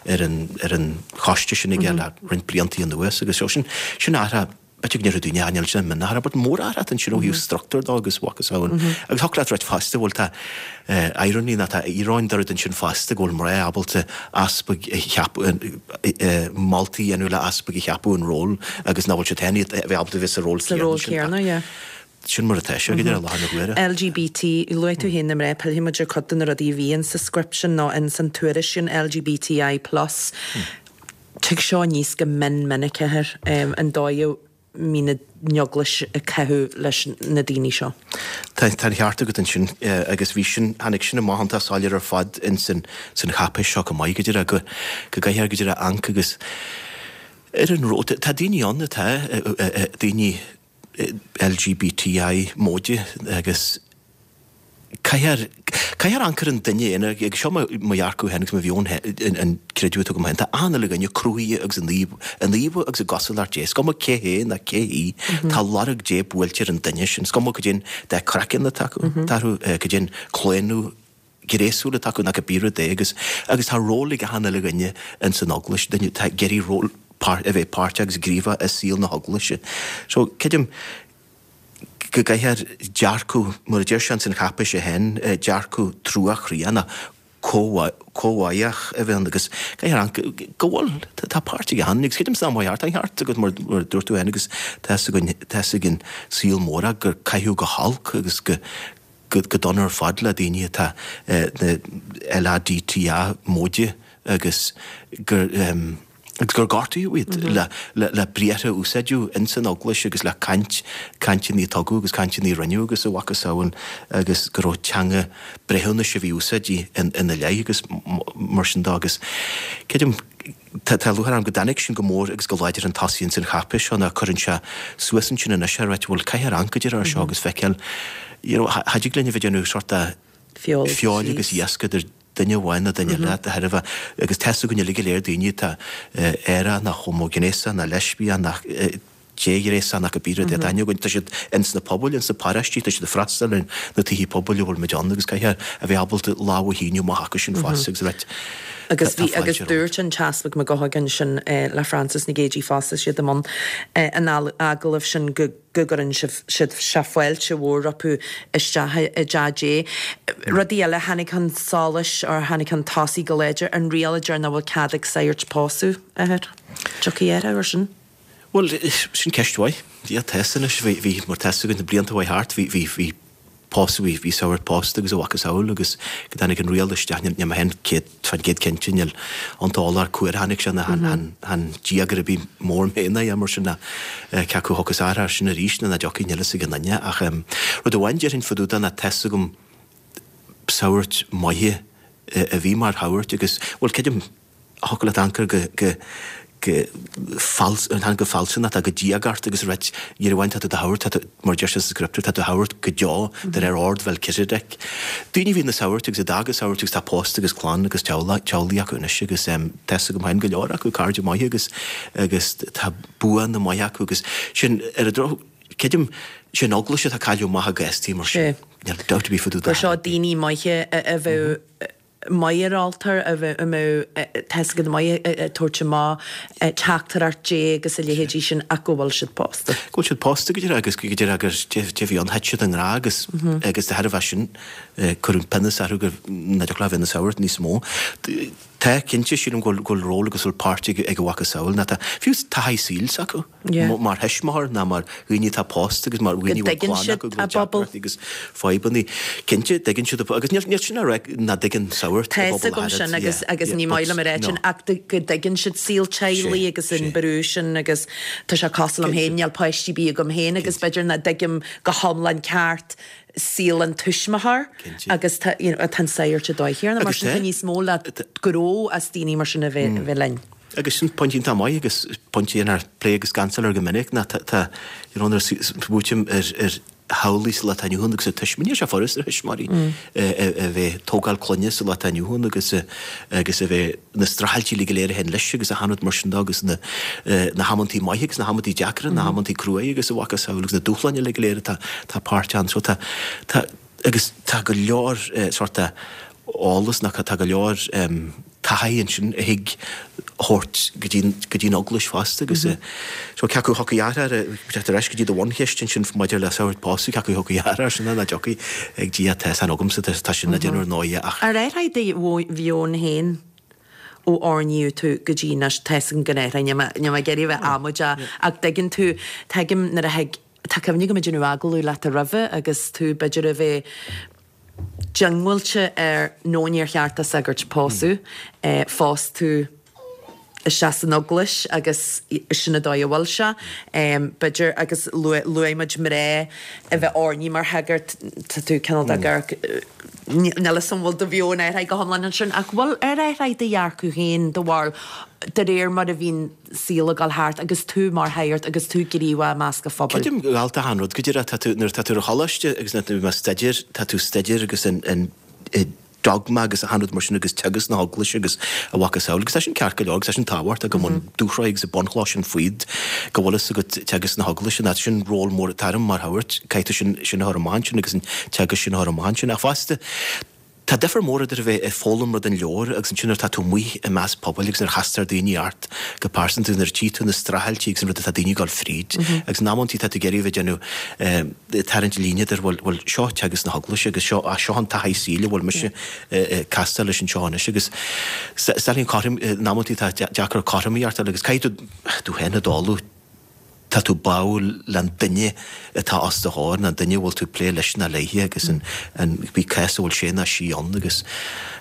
ar an ar an choiste sin aige le roinnt blianta anuas agus sin sin athrá b'fhéidir go ndéarfadh daoine ah níl sin mionathrá but mórathrá atá ansin ó thaobh struchtúr de agus mhacasamhail agus thiocfadh leat ráit fosta bhuel tá irony nó tá íoróin de rud ansin fosta go bhfuil mná ábalta easpaig a cheapadh moltaí a dhéanamh le easpaig a cheapadh an ról agus nach bhfuil siad féin a bheith ábalta bheith sa ról Sa ról céanna sin. céanna, yeah. Sin mar atá sé go deireadh láthair na huaire. LGBT, luaigh tú féin na mná, pillfidh muid ar chuid de na rudaí a bhí in sa script sin nó in san tuairisc sin LGBTI plus. Tig seo aníos go mion minic athair, an dóigh a mbíonn an Eaglais ag caitheamh leis na daoine seo. Tá tá an cheart agat ansin agus bhí sin, tháinig sin amach iontach soiléir ar fad in san san cháipéis seo chomh maith go deireadh go go gcaithfear go deireadh amharc agus ar an ról, tá daoine ann atá daoine LGBTI móide agus caithfear caithfear amharc ar an duine aonair agus seo mo mo dhearcadh féin agus mo mheon féin an creideamh atá agam féin tá achan uile dhuine cruthaithe agus in íomh in íomha agus i gcosúlacht Dé is cuma cé hé ná cé hí tá lorg Dé buailte ar an duine sin is cuma cad é an dath craicinn atá acu atá orthu cad é an claonadh gnéasúil atá acu ná cibé rud é agus agus tá ról ag achan uile dhuine ins an Eaglais duine atá ag iarraidh ról a bheith páirteach agus gníomhach i saol na hEaglaise. So, creidim go gcaithfear dearcadh, mar a deir sé ins an cháipéis féin, dearcadh truacroíoch nó comhbháach a bheith ann agus caithfear amharc go bhfuil, tá páirt ag achan duine agus creidim san am ceart, tá an ceart agat mar a dúirt tú féin agus tá fhios againn, tá fhios ag an saol mór gur caitheadh go holc agus go go dona ar fad le daoine atá na LADTA móide agus gur agus gur gortaíodh iad le le briathra a úsáideadh ins an Eaglais agus le caint, cainteanna a tugadh agus cainteanna a rinneadh agus a mhacasamhail agus go raibh teanga breithiúnais a bhí úsáidte ina leith agus mar sin de agus creidim Tá tá lúcháir orm go dtáinig sin go mór agus go láidir chun tosaigh ins an cháipéis seo ná cuireann sé suas ansin anois é ráit bhuel caithfear amharc go deireadh air seo agus feiceáil you know cha dtig linn a bheith ag déanamh sort of Feoil feoil agus síos. iasc idir duine amháin nó duine eile de thairbhe agus tá fhios againn uilig go léir daoine atá aerach ná homaighnéasach ná leispiach ná déghnéasach ná cibé rud é tá aithne againn tá siad ins na pobail ins na paróistí tá siad ag freastal ar na tithe pobail a bhfuil muid ann agus caithfear a bheith ábalta lámh a shíneadh amach acu sin fosta agus a rá Agus tá bhí agus fáilte romhat. dúirt an tEaspag McGuckigan sin le Francis Nic Géidigh fosta siad i mbun an agallaimh sin go go gcuireann sibh siad sé fáilte mhór rompu isteach i dTeach Dé. Rudaí eile tháinig chun solais or tháinig chun tosaigh go láidir, an riail a deir nach bhfuil cead ag sagairt pósadh, a athair. Tiocfaidh athrú ar sin? Bhuel, sin ceist mhaith. Yeah, tá fhios anois, bhí, bhí, mar tá fhios againn na blianta a chuaigh thart, bhí, bhí, bhí pósadh, bhí, bhí sagairt pósta agus a mhacasamhail agus go dtáinig an riail isteach, níl, níl mé féin céad, fán gcéad cinnte, níl an t-eolas cá huair a tháinig sé ná chan, chan, chan diaga ar bith mór mé ná é mar sin ná cé acu a thiocfas athrú air sin arís nó nach dtiocfaidh, níl fhios ag aon duine ach rud amháin déarfainn fá dtaobh de ná tá fhios agam sagairt maithe a bhí mar shagairt agus, bhuel, creidim, thiocfadh leat amharc air go, go, Go go fealsúnach, go diagach agus reit dhar amháin tá tú do thabhairt, tá tú, mar deir sé sa scrioptúr, tá tú thabhairt go deo de réir ord Mheilciséadec. Daoine a bhí ina sagairt agus a d'fhág an sagart agus tá post agus clann agus teaghlaigh acu anois agus tá 'fhios agam féin go leor acu, cairde maithe agus agus tá buanna maithe acu agus sin ar an droch, creidim, sin eaglais atá cailleadh amach i gcás mar sin. Níl dabht ar bith fá dtaobh de. Gur seo daoine maithe a bheadh maith ar altóir, a mbeadh tá 'fhios agat maith ag tabhairt amach teachtaireacht Dé agus a leithéidí sin ach go bhfuil siad pósta. Go bhfuil siad pósta go díreach agus go díreach agus dé bhí ann thit siad i ngrá agus agus de thairbhe sin cuireadh pionós orthu go nach dtiocfadh leo bheith ina sagart níos mó. Tá, cinnte, sílim go bhfuil ról agus go bhfuil páirt ag a mhacasamhail ná tá, fiú taithí saoil s'acu mar thuismitheoir ná mar dhaoine atá pósta agus mar dhaoine a bhfuil clann acu, go bhfuil deacrachtaí agus fadhbanna. Cinnte, tuigeann siad agus níl sin á rá nach dtuigeann sagart a bpobal a Tá 'fhios agam sin agus agus ní maith liom a rá sin ach go dtuigeann siad saol teaghlaigh agus an brú sin agus tá sé cosúil liom féin, níl páistí ar bith agam féin agus b'fhéidir nach dtuigim go hiomlán ceart saol an tuismitheoir agus tá you know tá an sagart i dóigh chéanna mar sin tá níos mó le gnó as daoine mar sin a bheith a bheith linn. Agus sin pointe iontach maith agus pointe inar pléadh agus scansáil air go minic ná tá tá you know nuair a smaoiním ar ar theaghlaigh sa lá atá inniu ann agus ar tuismitheoirí níl sé furast ar thuismitheoirí a bheith ag tógáil clainne sa lá atá inniu ann agus agus a bheith na streachailtí uilig go léir a théann leis agus achan rud mar sin de agus na na hamantaí maithe agus na hamantaí deacra, na hamantaí cruaidh agus a mhacasamhail agus na dúshláin uilig go léir atá atá páirteach ann. So tá tá agus tá go leor sórt eolas nó tá go leor taithí ansin a thig thabhairt go dtí go dtí an eaglais fosta agus so cé acu thiocfaidh athrú ar ar ais go dtí do bhuncheist ansin maidir le sagart pósadh cé acu thiocfaidh athrú air sin ná dtiocfaidh ag Dia tá san agamsa tá sin le déanamh ar ndóighe ach. Ar athraigh do mheon féin ó oirníodh tú go dtí anois tá 'fhios agam go n-athraigh níl mé níl mé ag iarraidh a bheith amaideach ach dtuigeann tú tuigim nuair a thig tá cuimhne agam ag déanamh agallamh leat roimhe agus tú b'fhéidir a bheith diongbháilte ar nó níor cheart do shagart pósadh. Phós tú isteach san eaglais agus sin an dóigh a bhfuil sé. B'fhéidir, agus luaigh muid mná a bheith oirnithe mar shagart, tá tú cineál de gur, níl 'fhios agam an bhfuil do mheon athraithe go hiomlán ansin, ach bhfuil, ar athraigh do dhearcadh féin, do bharúil, de réir mar a bhíonn saol ag dul thart agus tú mar shagart agus tú gníomhach i measc an phobail. Creidim go bhfuil achan rud go díreach. Tá tú, nuair atá tú ar choláiste agus nuair atá tú ag staidéar, tá tú ag staidéar agus an, an dogma agus achan rud mar sin agus teagasc na hEaglaise agus a mhacasamhail agus tá sin ceart go leor agus tá sin tábhachtach go mbíonn dúshraith agus an bunchloch sin faoi go bhfuil fhios agat teagasc na hEaglaise ná sin ról mór atá orm mar shagart, caithfidh tú sin, sin a chur amach ansin agus an teagasc sin a chur amach ansin ach fosta Tá difear mór idir a bheith ag foghlaim rud ón leabhar agus ansin nuair atá tú amuigh i measc pobail agus nuair a chastar daoine ort go pearsanta nuair a tchí tú na streachailtí agus an rud atá daoine ag dul fríd agus in amantaí tá tú ag iarraidh a bheith ag déanamh ag tarraingt líne idir bhuel bhuel seo teagasc na hEaglaise agus seo ah seo an taithí saoil a bhfuil mise ag castáil leis anseo anois agus is dóigh liom cothrom in amantaí tá deacair cothromaíocht a fháil agus caithfidh tú tú féin a dháileadh. Tá tú báúil leis an duine atá os do chomhair, nó an duine a bhfuil tú ag plé leis nó léi agus an cibé cás a bhfuil sé nó sí ann agus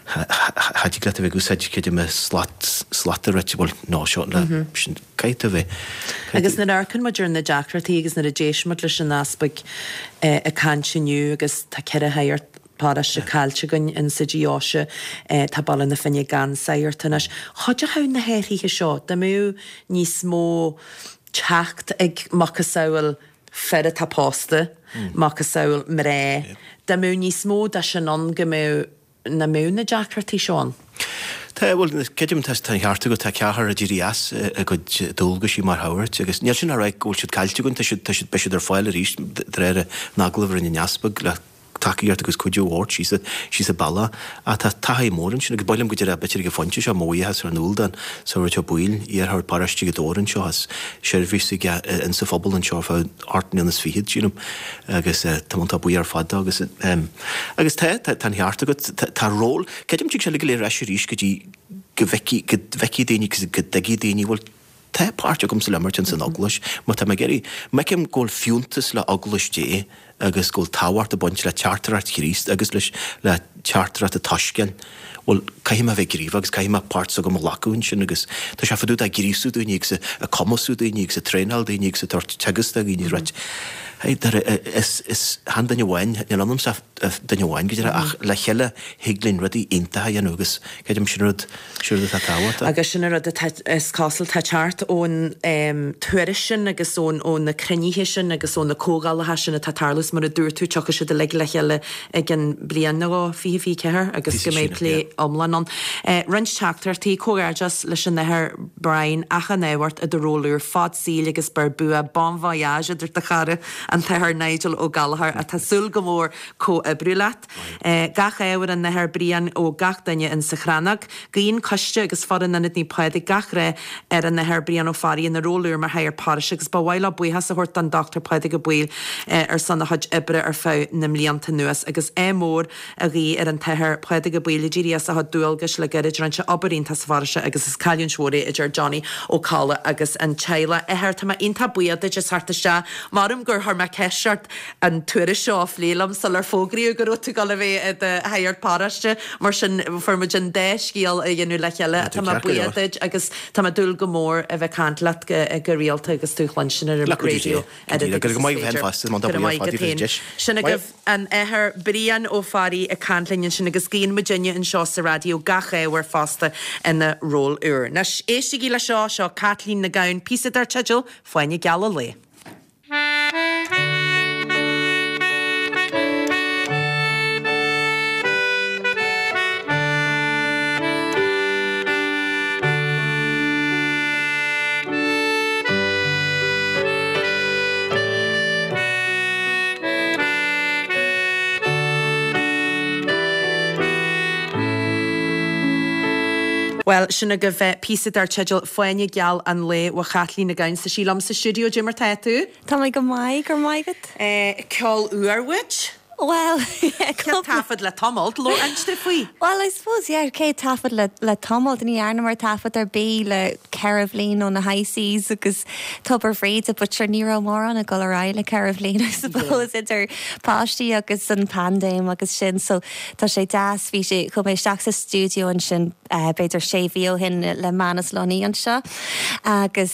cha dtig leat a bheith ag úsáid creidim slat, slat a rite, bhuel, nó seo, le, sin, caithfidh tú a bheith, caithfidh Agus nuair a amharcann muid ar na deacrachtaí agus nuair a d'éist muid leis an easpag ag caint inniu agus tá ceithre shagart paróiste caillte againn in sa deoise, tá Baile na Finne gan sagart anois. Chuideochadh na hathruithe seo dá mbeadh níos mó teacht ag macasamhail fir atá pósta, macasamhail mná, dá mbeadh níos mó de sin ann go mbeadh, nach mbeadh na deacrachtaí seo ann. Tá, bhuel, creidim tá an ceart agat, tá ceathrar ag éirí as a gcuid dualgaisí mar shagairt agus níl sin á rá go bhfuil siad caillte againn, tá siad, tá siad, beidh siad ar fáil arís de réir an agallaimh a rinne an Easpag le tacaíocht agus cuidiú a thabhairt síos síos an bealach. Ach tá taithí mór ansin agus ba mhaith liom go deir b'fhéidir ag an phointe seo mo bhuíochas ar ndóigh don Sagart Ó Baoill, iarshagart paróiste Ghaoth Dobhair anseo as seirbhís aige insa phobal anseo ar feadh ocht mbliana is fichead, sílim, agus tá mé iontach buíoch ar fad dó agus agus tá, tá an ceart agat, tá ról, creidim tig sé uilig go léir ar ais arís go dtí go bhfeicfidh, go bhfeicfidh daoine agus go dtuigfidh daoine, bhuel, Tá páirt agamsa le imirt ins an Eaglais, má tá mé ag iarraidh, má fheicim go bhfuil fiúntas le Eaglais Dé agus go bhfuil tábhacht ag baint le teachtaireacht Chríost agus leis le teachtaireacht an tSoiscéil, bhuel, caithfidh mé a bheith gníomhach agus caithfidh mé páirt s'agam a ghlacadh ansin agus tá sé fá dtaobh de ghríosú daoine agus ag cumasú daoine agus ag traenáil daoine agus ag tabhairt teagasc do dhaoine, right. Hey, is, is, chan duine amháin, níl ionamsa ach duine amháin go deireadh, ach le chéile thig linn rudaí iontacha a dhéanamh agus creidim sin rud, sin rud atá tábhachtach. Agus sin an rud atá, is cosúil, atá ag teacht ón tuairisc sin agus ón, ó na cruinnithe sin agus ó na comhdhálacha sin atá ag tarlú is mar a dúirt tú, tiocfaidh siad uilig le chéile i gceann bliain nó dhó, fiche fiche ceathair, agus go mbeidh plé iomlán ann. Roinnt teachtaireachtaí, Comhghairdeas leis an Athair Brian, achan ádh ort i do ról úr, fad saoil agus beir bua, bon voyage, a dúirt do chara, an tAthair Nigel Ó Gallchóir, atá ag súil go mór comhoibriú leat. Gach ádh ar an Athair Brian ó gach duine in sa Chrannóg. Guíonn coiste agus foireann Ionad Naomh Pádraig gach rath ar an Athair Brian Ó Fearraigh ina ról úr mar shagart paróiste agus ba mhaith leo buíochas a thabhairt don Dochtúir Pádraig Ó Baoill ar son a chuid oibre ar feadh na mblianta anuas agus ádh mór a ghuí ar an tAthair Pádraig Ó Baoill ag éirí as a chuid dualgais le gairid. Rinne sé obair iontach sa pharóiste agus is cailliúint mhór é a deir Johnny Ó Colla agus an teaghlach. Athair, tá mé iontach buíoch duit as theacht isteach. Maram gur chuir mé ceist ort an tuairisc seo a phlé liom sular fógraíodh go raibh tú ag dul a bheith i do shagart paróiste, mar sin fuair muid an dá scéal a dhéanamh le chéile. Tá mé buíoch duit agus tá mé ag dúil go mór a bheith ag caint leat go rialta agus tú a chluinstin ar an raidió oiread agus is féidir. Go raibh maith agat féin. Sin agaibh an Athair Brian Ó Fearraigh ag caint linn ansin agus guíonn muidinne anseo sa raidió gach ádh air fosta ina ról úr. Anois, éistigí le seo, seo Caitlín Nic Gabhann, píosa dar teideal Fáinne Geal an Lae. Bhuel, sin agaibh píosa dar teideal Fáinne Geal an Lae ó Chaitlín Nic Gabhann. Tá sí liom sa stiúideo, Cad é mar tá tú? Tá mé go maith, go raibh maith agat. Ceol úr uait? Bhuel, yeah, Céad taifead le tamalt, labhair inste faoi. Well, I suppose, yeah, céad taifead le, le tamalt, ní dhearnamar taifead ar bith le ceithre bhliain ó na High Seas agus Tobar Bhríde, but sure, ní raibh mórán ag dul ar aghaidh le ceithre bhliain, I suppose, idir páistí agus an paindéim agus sin, so tá sé deas, bhí sé, chuaigh mé isteach sa stiúideo ansin b'fhéidir sé mhí ó shin le Manus Lunny anseo agus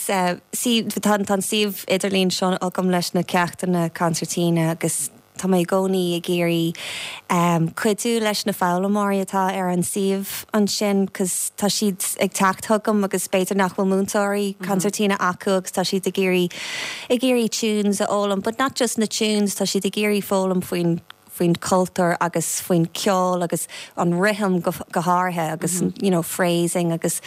see, tá an suíomh idirlín seo agam leis na ceachtanna consairtíne agus tá mé i gcónaí ag iarraidh cuidiú leis na foghlaimeoirí atá ar an suíomh ansin cos tá siad ag teacht chugam agus b'fhéidir nach bhfuil múinteoirí consairtíne acu agus tá siad ag iarraidh ag iarraidh tunes a fhoghlaim but not just na tunes tá siad ag iarraidh foghlaim faoin faoin cultúr agus faoin ceol agus an rithim go, go háirithe agus mm -hmm. you know, phrasing agus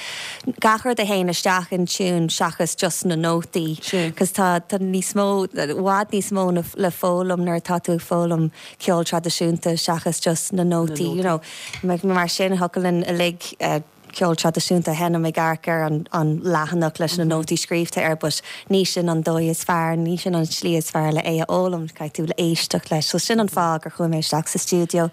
gach rud a théann isteach in tune seachas just na nótaí. Cos tá tá níos mó i bhfad níos mó na, le foghlaim nuair atá tú ag foghlaim ceol traidisiúnta seachas just na nótaí, you know. Mar sin thiocfadh linn uilig uh, ceol traidisiúnta a sheinm ag amharc ar an, an leathanach leis na nótaí scríobhta air, but ní sin an dóigh is fearr, ní sin an slí is fearr le é a fhoghlaim, caithfidh tú le éisteacht leis. So sin an fáth gur chuaigh mé isteach sa stiúideo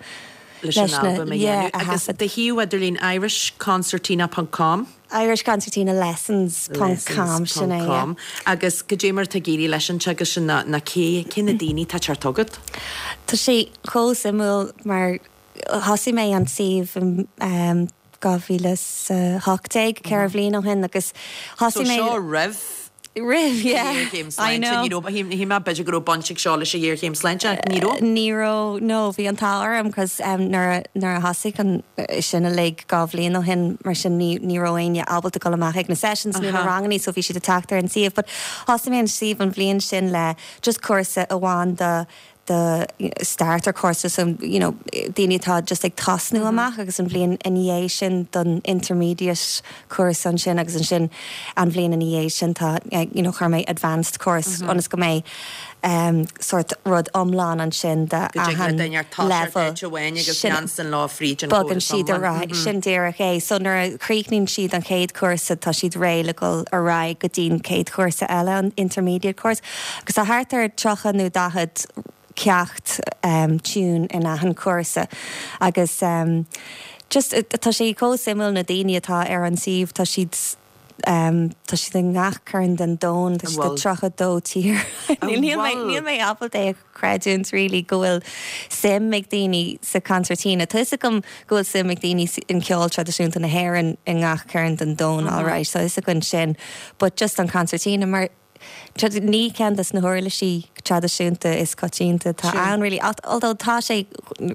leis an albam a dhéanamh. Agus do shuíomh idirlín irishconcertina ponc com. irishconcertina lessons ponc com, sin é, yeah. Agus cad é mar atá ag éirí leis an teagasc sin ná, ná cé, cé na daoine atá ag teacht chugat? Tá sé chomh suimiúil mar thosaigh mé an suíomh i dhá mhíle is a hocht déag, ceithre bhliain ó shin, agus thosaigh mé. So seo roimh Roimh, yeah. Ghéarchéim sláinte, ní raibh, shíl mé b'fhéidir go raibh baint ag seo leis an ghéarchéim sláinte, ach ní raibh. Ní raibh, no, bhí an t-ádh orm cos nuair a, nuair a thosaigh an, sin uilig dhá bhliain ó shin, mar sin ní, ní raibh éinne ábalta dul amach ag na sessions nó na rangannaí so bhí siad ag teacht ar an suíomh. But thosaigh mé an suíomh an bhliain sin le just cúrsa amháin do, do starter course so you know daoine atá just ag tosnú amach agus an bhliain ina dhiaidh sin don intermediate course ansin agus ansin an bhliain ina dhiaidh sin tá you know chuir mé advanced course ionas go mbeidh um sort rud iomlán ansin do Go dtig le achan duine ar toiseacht level. áit amháin agus Sin leanstan leo fríd an bogann chóras siad ar iomlán. aghaidh sin díreach é. So nuair a chríochnaíonn siad an chéad chúrsa tá siad réidh le dhul ar aghaidh go dtí an chéad chúrsa eile an intermediate course agus tá thart ar tríocha nó daichead ceacht tune in achan chúrsa agus just tá sé chomh suimiúil na daoine atá ar an suíomh tá siad um, tá siad i ngach cearn den domhan tá siad bhfuil? tríocha dó tír. Níl mé níl mé ábalta é a chreidiúint really go bhfuil suim ag daoine sa concertina. Tá fhios agam go bhfuil suim ag daoine in ceol traidisiúnta na hÉireann i ngach cearn den domhan all right, so fhios againn sin, but just an concertina mar ní ceann des na huirlisí traidisiúnta is coitianta tá ann really although tá sé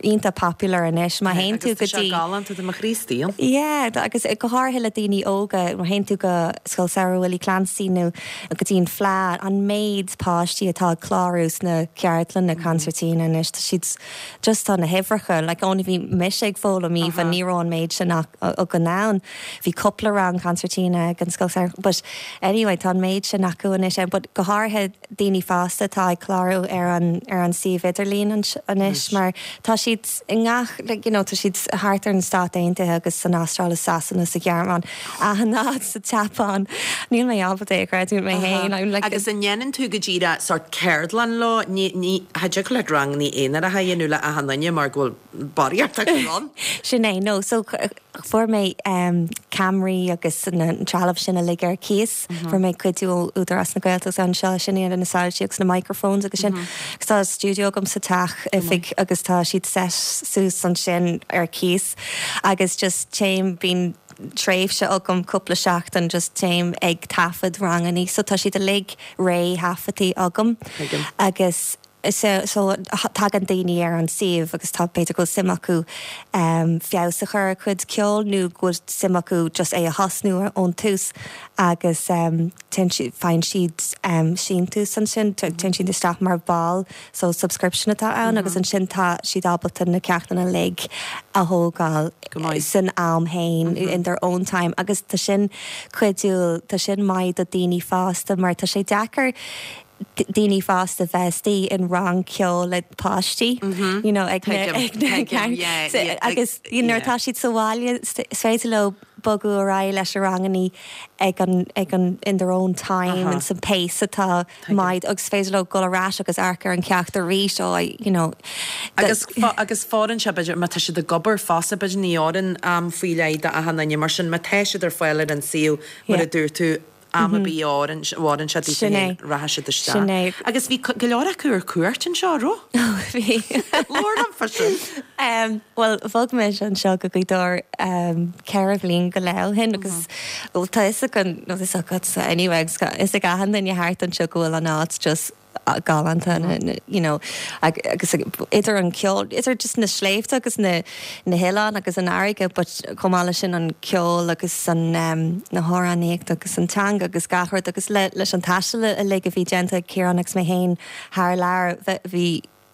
iontach popular anois má théann tú go dtí galánta de mo Chríostaí. Yeah, agus go háirithe le daoine óga má théann tú go Scoil Samhraidh Willie Clancy nó go dtí an Fleadh an méid páistí atá ag clárú sna ceardlanna concertina anois tá siad just tá na huimhreacha like only bhí mise ag foghlaim even ní raibh an méid sin againn ann. Bhí cúpla rang concertina ag an scoil samhraidh, but anyway tá an méid sin acu anois but go háirithe daoine fásta atá ag clárú ar an ar an suíomh idirlín anois mar tá siad i ngach like, you know, tá siad thart ar na Stáit Aontaithe agus san Astráil Sasana sa Ghearmáin anád sa Tseapáin níl mé ábalta é a chreidiúint mé féin I'm like Agus an ndéanann tú go díreach sort ceardlann leo ní ní cha dtig leat ranganna aonaracha a dhéanamh le achan duine mar go bhfuil barraíocht acu ann. Sin é no so fuair mé um, ceamaraí agus na trealamh sin uilig ar cíos fuair mé cuidiú ó Údarás na Gaeltachta anseo sin iad na soilsí agus na microphones agus sin agus tá studio agam sa teach oifig agus tá siad set suas ansin ar cíos agus just téim bíonn tréimhse agam cúpla seachtain just téim ag taifead ranganna so tá siad uilig réthaifeadta agam Tuigim. agus so, so tagann daoine ar an suíomh agus tá b'fhéidir go bhfuil suim acu um, feabhas a chur a chuid ceol nó go bhfuil suim acu just é a thosnú ón tús agus um, faigheann siad um, síntiús ansin téann siad isteach mar ball so subscription atá ann agus ansin tá siad ábalta na ceachtanna uilig a thógáil Go maith. san am féin in their own time agus tá sin cuidiúil tá sin maith do daoine fásta mar tá sé deacair d- daoine fásta bheith istigh in rang ceoil le páistí you know ag na- Tuigim, ag na tuigim, ceann- yeah, so- yeah, agus you know, yeah. tá siad sa bhaile is féidir leo bogadh ar aghaidh leis na ranganna ag an ag an in their own time Aha. and some pace atá maith agus féidir leo dul ar ais agus amharc ar an ceacht arís ó you know Agus fo- agus fóireann sé b'fhéidir má tá siad ag obair fosta b'fhéidir ní fhóireann am faoi leith do achan duine mar sin má tá siad ar fáil ar an suíomh mar a Yeah. dúirt tú am ar bith a fhóireann sé Sin é. rachaidh siad Sin é. isteach. Agus bhí go leor acu ar cuairt anseo raibh? bhí Labhair liom faoi sin. Um, well bhog mé anseo go Gaoth Dobhair um, ceithre bliana go leith ó shin agus well, tá fhios an nó is agat anyway agus is ag achan duine thart anseo go bhfuil an áit just uh, galánta na- na- you know ag- agus idir an ceol idir just na sléibhte agus na na hoileáin agus an fharraige but chomh maith leis sin an ceol agus an um, na hamhránaíocht agus an teanga agus gach rud agus le, leis an taisteal uilig a bhí déanta ag Ciarán agus mé féin thar lear bhí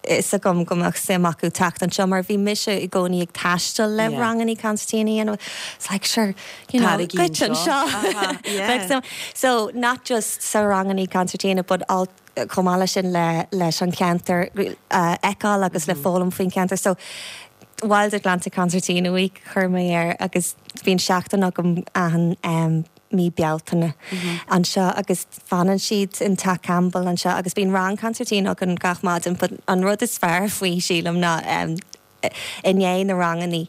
fhios agam go mbeadh suim acu teacht anseo mar bhí mise i gcónaí ag taisteal le Yeah. ranganna concertina and it's like sure you know Tarraigí goit anseo. anseo. Aha, yeah. Bheadh suim- so not just sa ranganna concertina but all chomh maith leis sin le leis an ceantar uh, eáil agus le foghlaim faoin ceantar so Wild Atlantic Concertina Week chuir mé air agus bíonn seachtain agam an um, mí Bealtaine anseo agus fanann siad in Teach Campbell anseo agus bíonn rang concertina againn gach maidin but an rud is fearr faoi sílim ná um, i ndiaidh na ranganna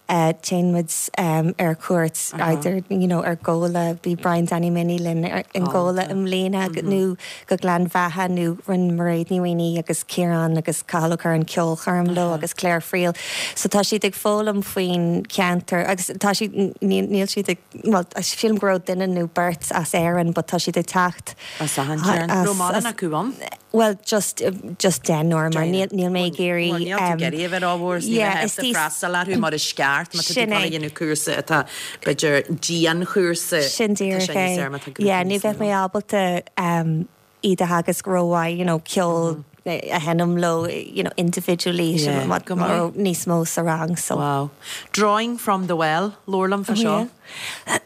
uh, téann muid um, ar cuairt either you know, ar Gabhla bhí Brian Danny Minnie linn ar- in Gabhla i mbliana nó go Gleann Bheatha nó rinne Mairéad Ní Mhaonaigh agus Ciarán agus Cathal Ó Curráin ceolchoirm leo agus Claire Friel. So tá siad ag foghlaim faoin ceantar agus tá siad níl níl siad ag well, sílim go raibh duine nó beirt as Éirinn, but tá siad ag teacht As achan cearn. as- Raibh mórán as- acu ann? Well, just just deichniúr mar níl níl mé ag iarraidh Níl tú ag iarraidh a bheith rómhór yeah, is tí- freastal orthu mar is ceart má tá Sin é. dhéanamh cúrsa atá b'fhéidir dianchúrsa Sin díreach é. Yeah, ní bheadh mé ábalta um, iad a theagasc rómhaith, you know, ceol a sheinm leo, you know, individually Yeah, sin mar go maith. mar níos mó sa rang so. Wow. Drawing from the well, labhair liom faoi seo.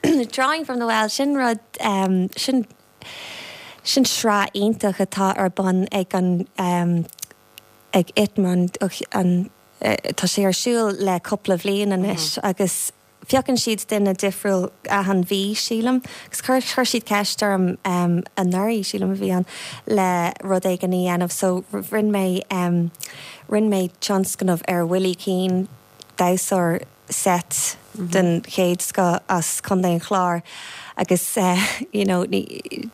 Yeah. Drawing from the well sin rud um, sin sin sraith iontach atá ar bun ag an um, ag ITMA an uh, tá sé ar siúl le cúpla bliain anois agus piocann siad duine difriúil achan mhí sílim agus chuir chuir siad ceist orm um, anuraidh sílim a bhí an le rud éigin a dhéanamh so rinne mé um, rinne mé tionscnamh ar Willie Keane damhsóir set den chéad scoth as Contae an Chláir agus uh, you know, ní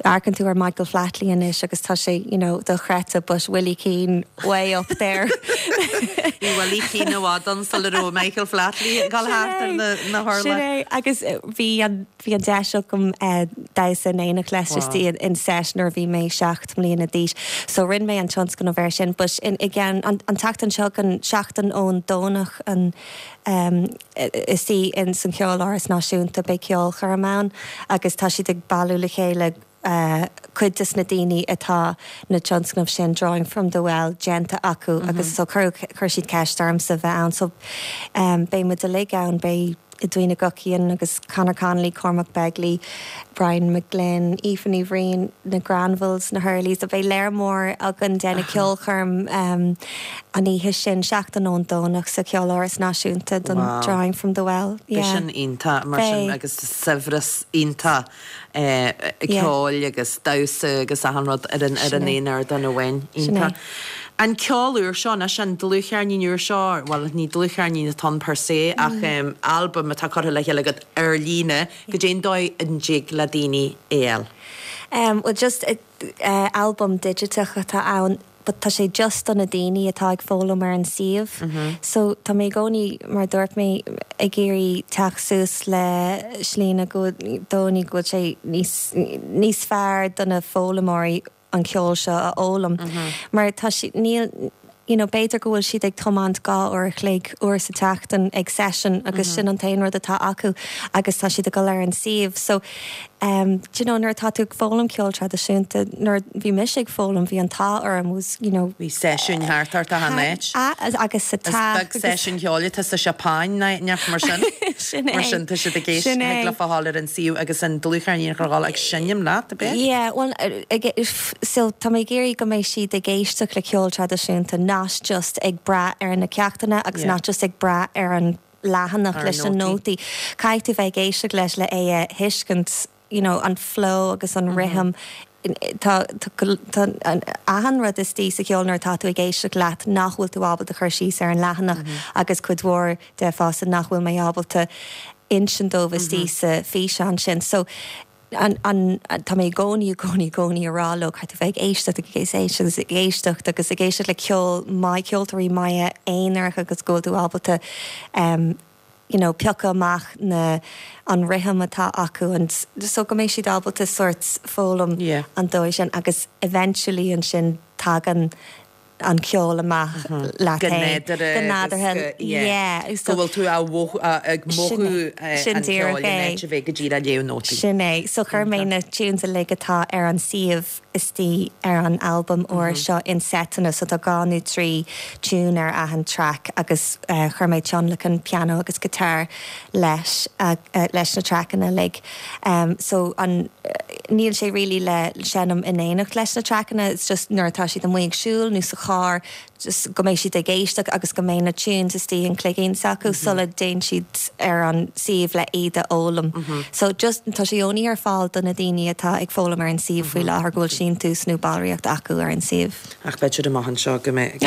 amharcann tú ar Michael Flatley anois agus tá sé you know, dochreidte but Willie Keane way up there. Bhí Willie Keane i bhfad ann sula raibh Michael Flatley gal thart ar na na Sin hurla. é, agus eh, bhí an bhí an deis agam eh, damhsa in éineacht leis Wow. wow. in set nuair bhí mé seacht mbliana d'aois. So rinne mé an tionscnamh air sin, but in again an, an tseachtain seo an seachtain ón Domhnach an um, is í in san Cheoláras Náisiúnta beidh ceolchoirm ann agus tá siad ag bailiú le chéile uh, cuid des na daoine atá na tionscnamh sin drawing from the well déanta acu mm -hmm. agus so chuir chuir siad ceist ormsa bheith ann so um, beidh muid uilig ann beidh Edwina Guckian agus Conor Connolly, Cormac Begley, Brian McGlynn, Aoife Ní Bhriain, na Granvilles, na Hurleys, a beidh léir mór againn déna ceolchoirm um, an oíche sin seachtain ón Domhnach sa Cheoláras Náisiúnta don Wow. Drawing from the Well. Yeah. Sin iontach mar sin Beidh. agus saibhreas iontach eh, ceoil agus damhsa agus achan rud ar an ar an Sin é. aon ardán amháin Sin iontach. é. An ceol úr seo na sin dlúthcheirnín úr seo, well ní dlúthcheirnín atá ann per se ach um, album atá curtha le chéile agat ar líne go dtéon dóigh an dtig le daoine éal. Um, well just uh, uh, album digiteach atá ann but tá sé just do na daoine atá ag foghlaim ar an suíomh. Mm -hmm. So tá mé i gcónaí mar dúirt mé ag iarraidh teacht suas le slí go dóigh go bhfuil sé níos níos fearr do na foghlaimeoirí an ceol seo a fhoghlaim. Mm -hmm. Mar tá si níl you know, b'fhéidir go bhfuil siad ag tiomáint dhá uair a chloig uair sa tseachtain ag session agus mm -hmm. sin an t-aon rud atá acu agus tá siad ag dul ar an suíomh. So um, do you know, nuair atá tú ag foghlaim ceol traidisiúnta nuair bhí mise ag foghlaim bhí an t-ádh orm was you know, Bhí seisiún thart ar an áit. a, agus sa Is teach beag seisiún ceoil tá sa Seapáin neach mar sin. Sin é. Mar sin tá siad ag éis Sin é. le fáil ar an suíomh agus an dlúthcheirnín chráil ag seinm leat a bit. Yeah, well, uh, ag- if- so tá mé ag iarraidh go mbeidh siad ag éisteacht le ceol traidisiúnta not just ag brath ar na ceachtanna agus Yeah. not just ag brath ar an leathanach Ar leis an nótaí. nótaí. Caithfidh tú bheith ag éisteacht leis le é a thuiscint you know, an flow agus an mm -hmm. rhythm. Tá tá an achan rud istigh sa cheol nuair atá tú ag éisteacht leat nach bhfuil tú ábalta chur síos ar an leathanach mm -hmm. agus cuid mhór de fosta nach bhfuil mé ábalta insint dóibh istigh sa físeán sin. So an an tá mé i gcónaí i gcónaí i gcónaí ag rá leo caithfidh tú bheith ag éisteacht agus ag éisteacht agus ag éisteacht agus ag éisteacht le ceol maith ceoltóirí maithe aonarach agus go bhfuil tú ábalta um, you know, piocadh amach na an rhythm atá acu and so go mbeidh siad ábalta sort foghlaim Yeah. an dóigh sin agus eventually ansin tagann an ceol amach leat Go féin. nádúrtha Go nádúrtha, agus go- yeah. yeah. Go bhfuil tú á mhothú- á- ag mothú eh, Sin an díreach ceol é. in áit a bheith go díreach ag léamh nótaí. Sin é, so chuir mé na tunes uilig atá ar an suíomh istigh ar an album úr seo in setanna, so tá dhá nó trí tune ar achan track agus uh, chuir mé tionlacan piano agus guitar leis uh, uh, leis na trackanna uilig. Um, so an uh, níl sé really le seinm in éineacht leis na trackanna, it's just nuair atá siad amuigh ag siúl nó sa charr just go mbeidh siad ag éisteacht agus go mbeidh na tunes istigh an cloigeann s'acu mm -hmm. sula dtéann siad ar an suíomh le iad a fhoghlaim. Mm -hmm. So just tá sé only ar fáil do na daoine atá ag foghlaim ar an suíomh faoi láthair go bhfuil síntiús nó ballraíocht acu ar an suíomh. Ach b'fhéidir amach anseo go mbeidh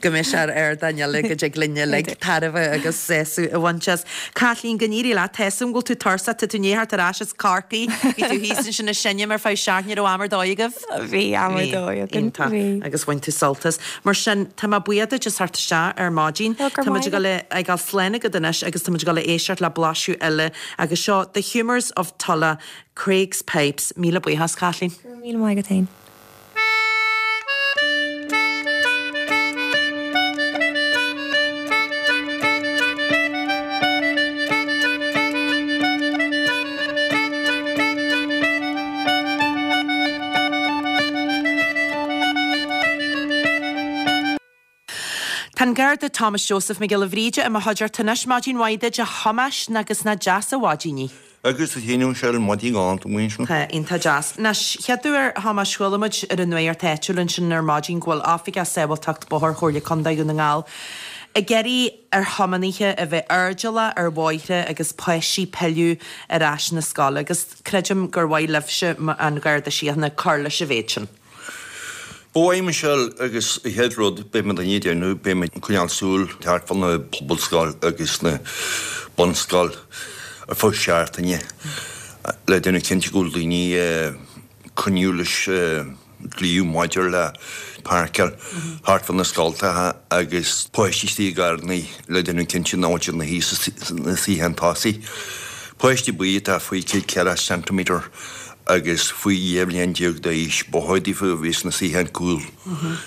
go mbeidh sé ar ardán eile go dtig linne le tairbhe agus sásamh a bhaint as. Caitlín go n-éirí leat Tá bhfuil tú tuirseach tú i ndiaidh theacht ar ais as Corcaigh, bhí tú thíos ansin ag seinm ar feadh seachtaine raibh am ar dóigh agaibh? Bhí am ar dóigh againn, bhí. Agus bhain tú sult as. Mar sin tá mé buíoch duit as theacht isteach ar maidin. Ó, gur Tá maith ag ag dul slán agat anois agus tá go le éisteacht le blaiseadh eile agus seo The Humours of Tulla, Craig's Pipes, míle buíochas Caitlín. Míle maith agat féin. Tá an Garda Thomas Joseph Mac Giolla Bhríde i mo chuideachta anois maidin mhaith duit a Thomáis agus nach deas an mhaidin í. Agus a chéanú sé an maidí gáint muin sin. Tá iontach deas. Anois chéad uair Thomáis chuala muid ar an nuacht áitiúil ansin ar maidin go bhfuil Oifigeach Sábháilteacht Bóthair Chomhairle Contae Dhún na nGall. Ag iarraidh ar thiománaithe a bheith airdeallach ar bhóithre agus páistí pilleadh ar ais na scoile, agus creidim gur mhaith libhse an Garda Síochána cur leis an mhéid sin. Ba mhaith Michelle agus an chéad rud beidh muid ag déanamh beidh muid ag coinneáil súil thart fá na pobalscoil agus na bunscoil ar feadh seachtaine le déanamh cinnte go bhfuil daoine ag coinneáil leis dlí maidir le páirceáil thart fá na scoltacha agus páistí istigh i gcarrannaí le déanamh cinnte nach bhfuil siad ina shuí sna suíocháin tosaigh. Páistí ar bith atá faoi céad ceathracha ceintiméadar agus faoi dhá bhliain déag d'aois, ba chóir daofa a bheith sna suíocháin cúil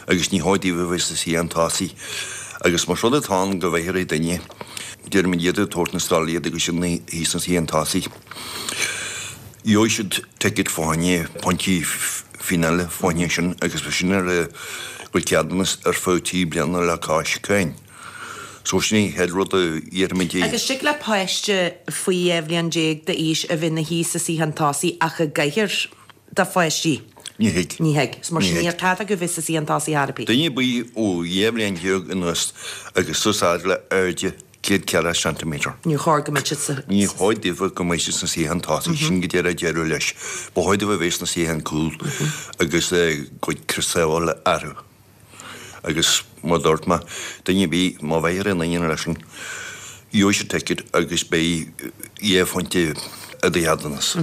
agus ní chóir daofa a bheith sna suíocháin tosaigh. Agus más rud atá ann go bhfaighfear aon duine, déarfaimid iad ag tabhairt na scoile iad agus iad ina shuí sna suíocháin tosaigh. Gheobhaidh siad ticket fá choinne, pointí fíneála fá choinne sin agus beidh sin ar a gcuid ceadúnas ar feadh trí bliana le cois cáin. So sin é an chéad rud a iarraimid é. Agus tig le páiste faoi dhá bhliain déag d'aois a bheith ina shuí sa suíochán tosaigh ach i gcathaoir do pháistí? Ní thig. Ní thig. So mar Ní sin thig. níl cead acu bheith sa suíochán tosaigh ar bith. Duine ar bith ó dhá bhliain déag anuas agus suas fhad le airde céad ceathracha ceintiméadar. Níor chóir go mbeadh siad sa. Ní chóir daofa go mbeidh siad sna suíocháin tosaigh, sin go díreach deireadh leis. Ba chóir daofa a bheith sna suíocháin cúil agus a gcuid crios sábhála orthu. Agus mar a dúirt mé, duine ar bith, má bhfaighfear aon duine leis sin, gheobhaidh siad ticket agus beidh dhá phointe i do cheadúnas.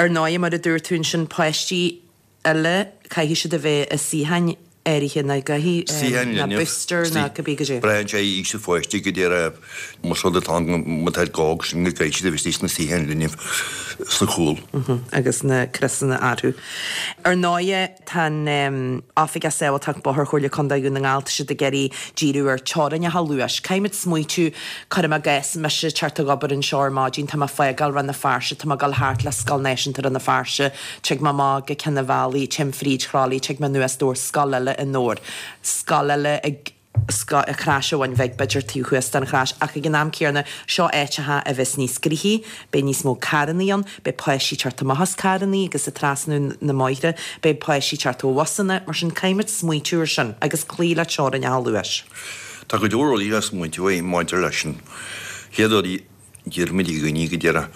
Ar ndóigh, mar a dúirt tú ansin, páistí eile, caithfidh siad a bheith i suíocháin áirithe, nó caithfidh, Suíocháin nó linbh, booster nó cibé goidé. Braitheann sé ar aois an pháiste go díreach, más rud atá ann, má tá go hóg sin go gcaithfidh siad a bheith istigh sna suíocháin linbh sa chúl. Agus na criosanna orthu. Ar ndóigh, tá an Oifigeach Sábháilteacht Bóthair Chomhairle Contae Dhún na nGall, tá siad ag iarraidh díriú ar teorainneacha luais. Caithfimid smaoitiú, cuirim i gcás, mise ag teacht ag obair anseo ar maidin, tá mé ag fágáil Rann na Feirste, tá mé ag dul thart le Scoil Náisiúnta Rann na Feirste, tig mé amach go Ceann an Bhealaigh, téim fríd Chroithlí, tig mé anuas Dobhar, scoil eile i nDobhar, scoil eile ag. Crois an Bhun Bhig, b'fhéidir taobh thuas den Chrois, ach ag an am céanna, seo áiteacha a bheas níos gnoithí, beidh níos mó carrannaí ann, beidh páistí ag teacht amach as carrannaí agus ag trasnú na mbóithre, beidh páistí ag teacht ó bhusanna, mar sin caithfimid smaoitiú ar sin agus cloí le teorainneacha luais. Tá go leor rudaí le smaointiú air maidir leis sin. Chéad rud, Deirimid do dhaoine go díreach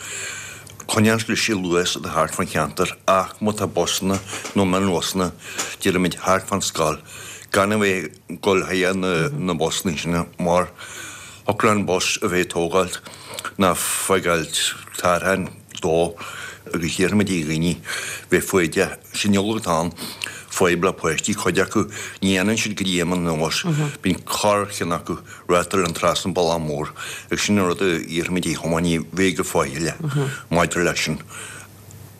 coinneáil leis an luas atá thart fán cheantar ach má tá busanna nó mionbhusanna, deirimid thart fán scoil, gan a bheith ag dul chuig na busanna sin mar thiocfadh le an bus a bheith ag tógáilt ná fágáilt tarrtháin dó agus deirimid do dhaoine bheith foighdeach. Sin uilig atá ann, fadhb le páistí, cuid acu, ní fhanann siad go dtí am an bhus, bíonn corrcheann acu rachtáil an trasna an bealach mór agus sin an rud a iarraimid ar thiománaithe bheith go faichilleach maidir leis sin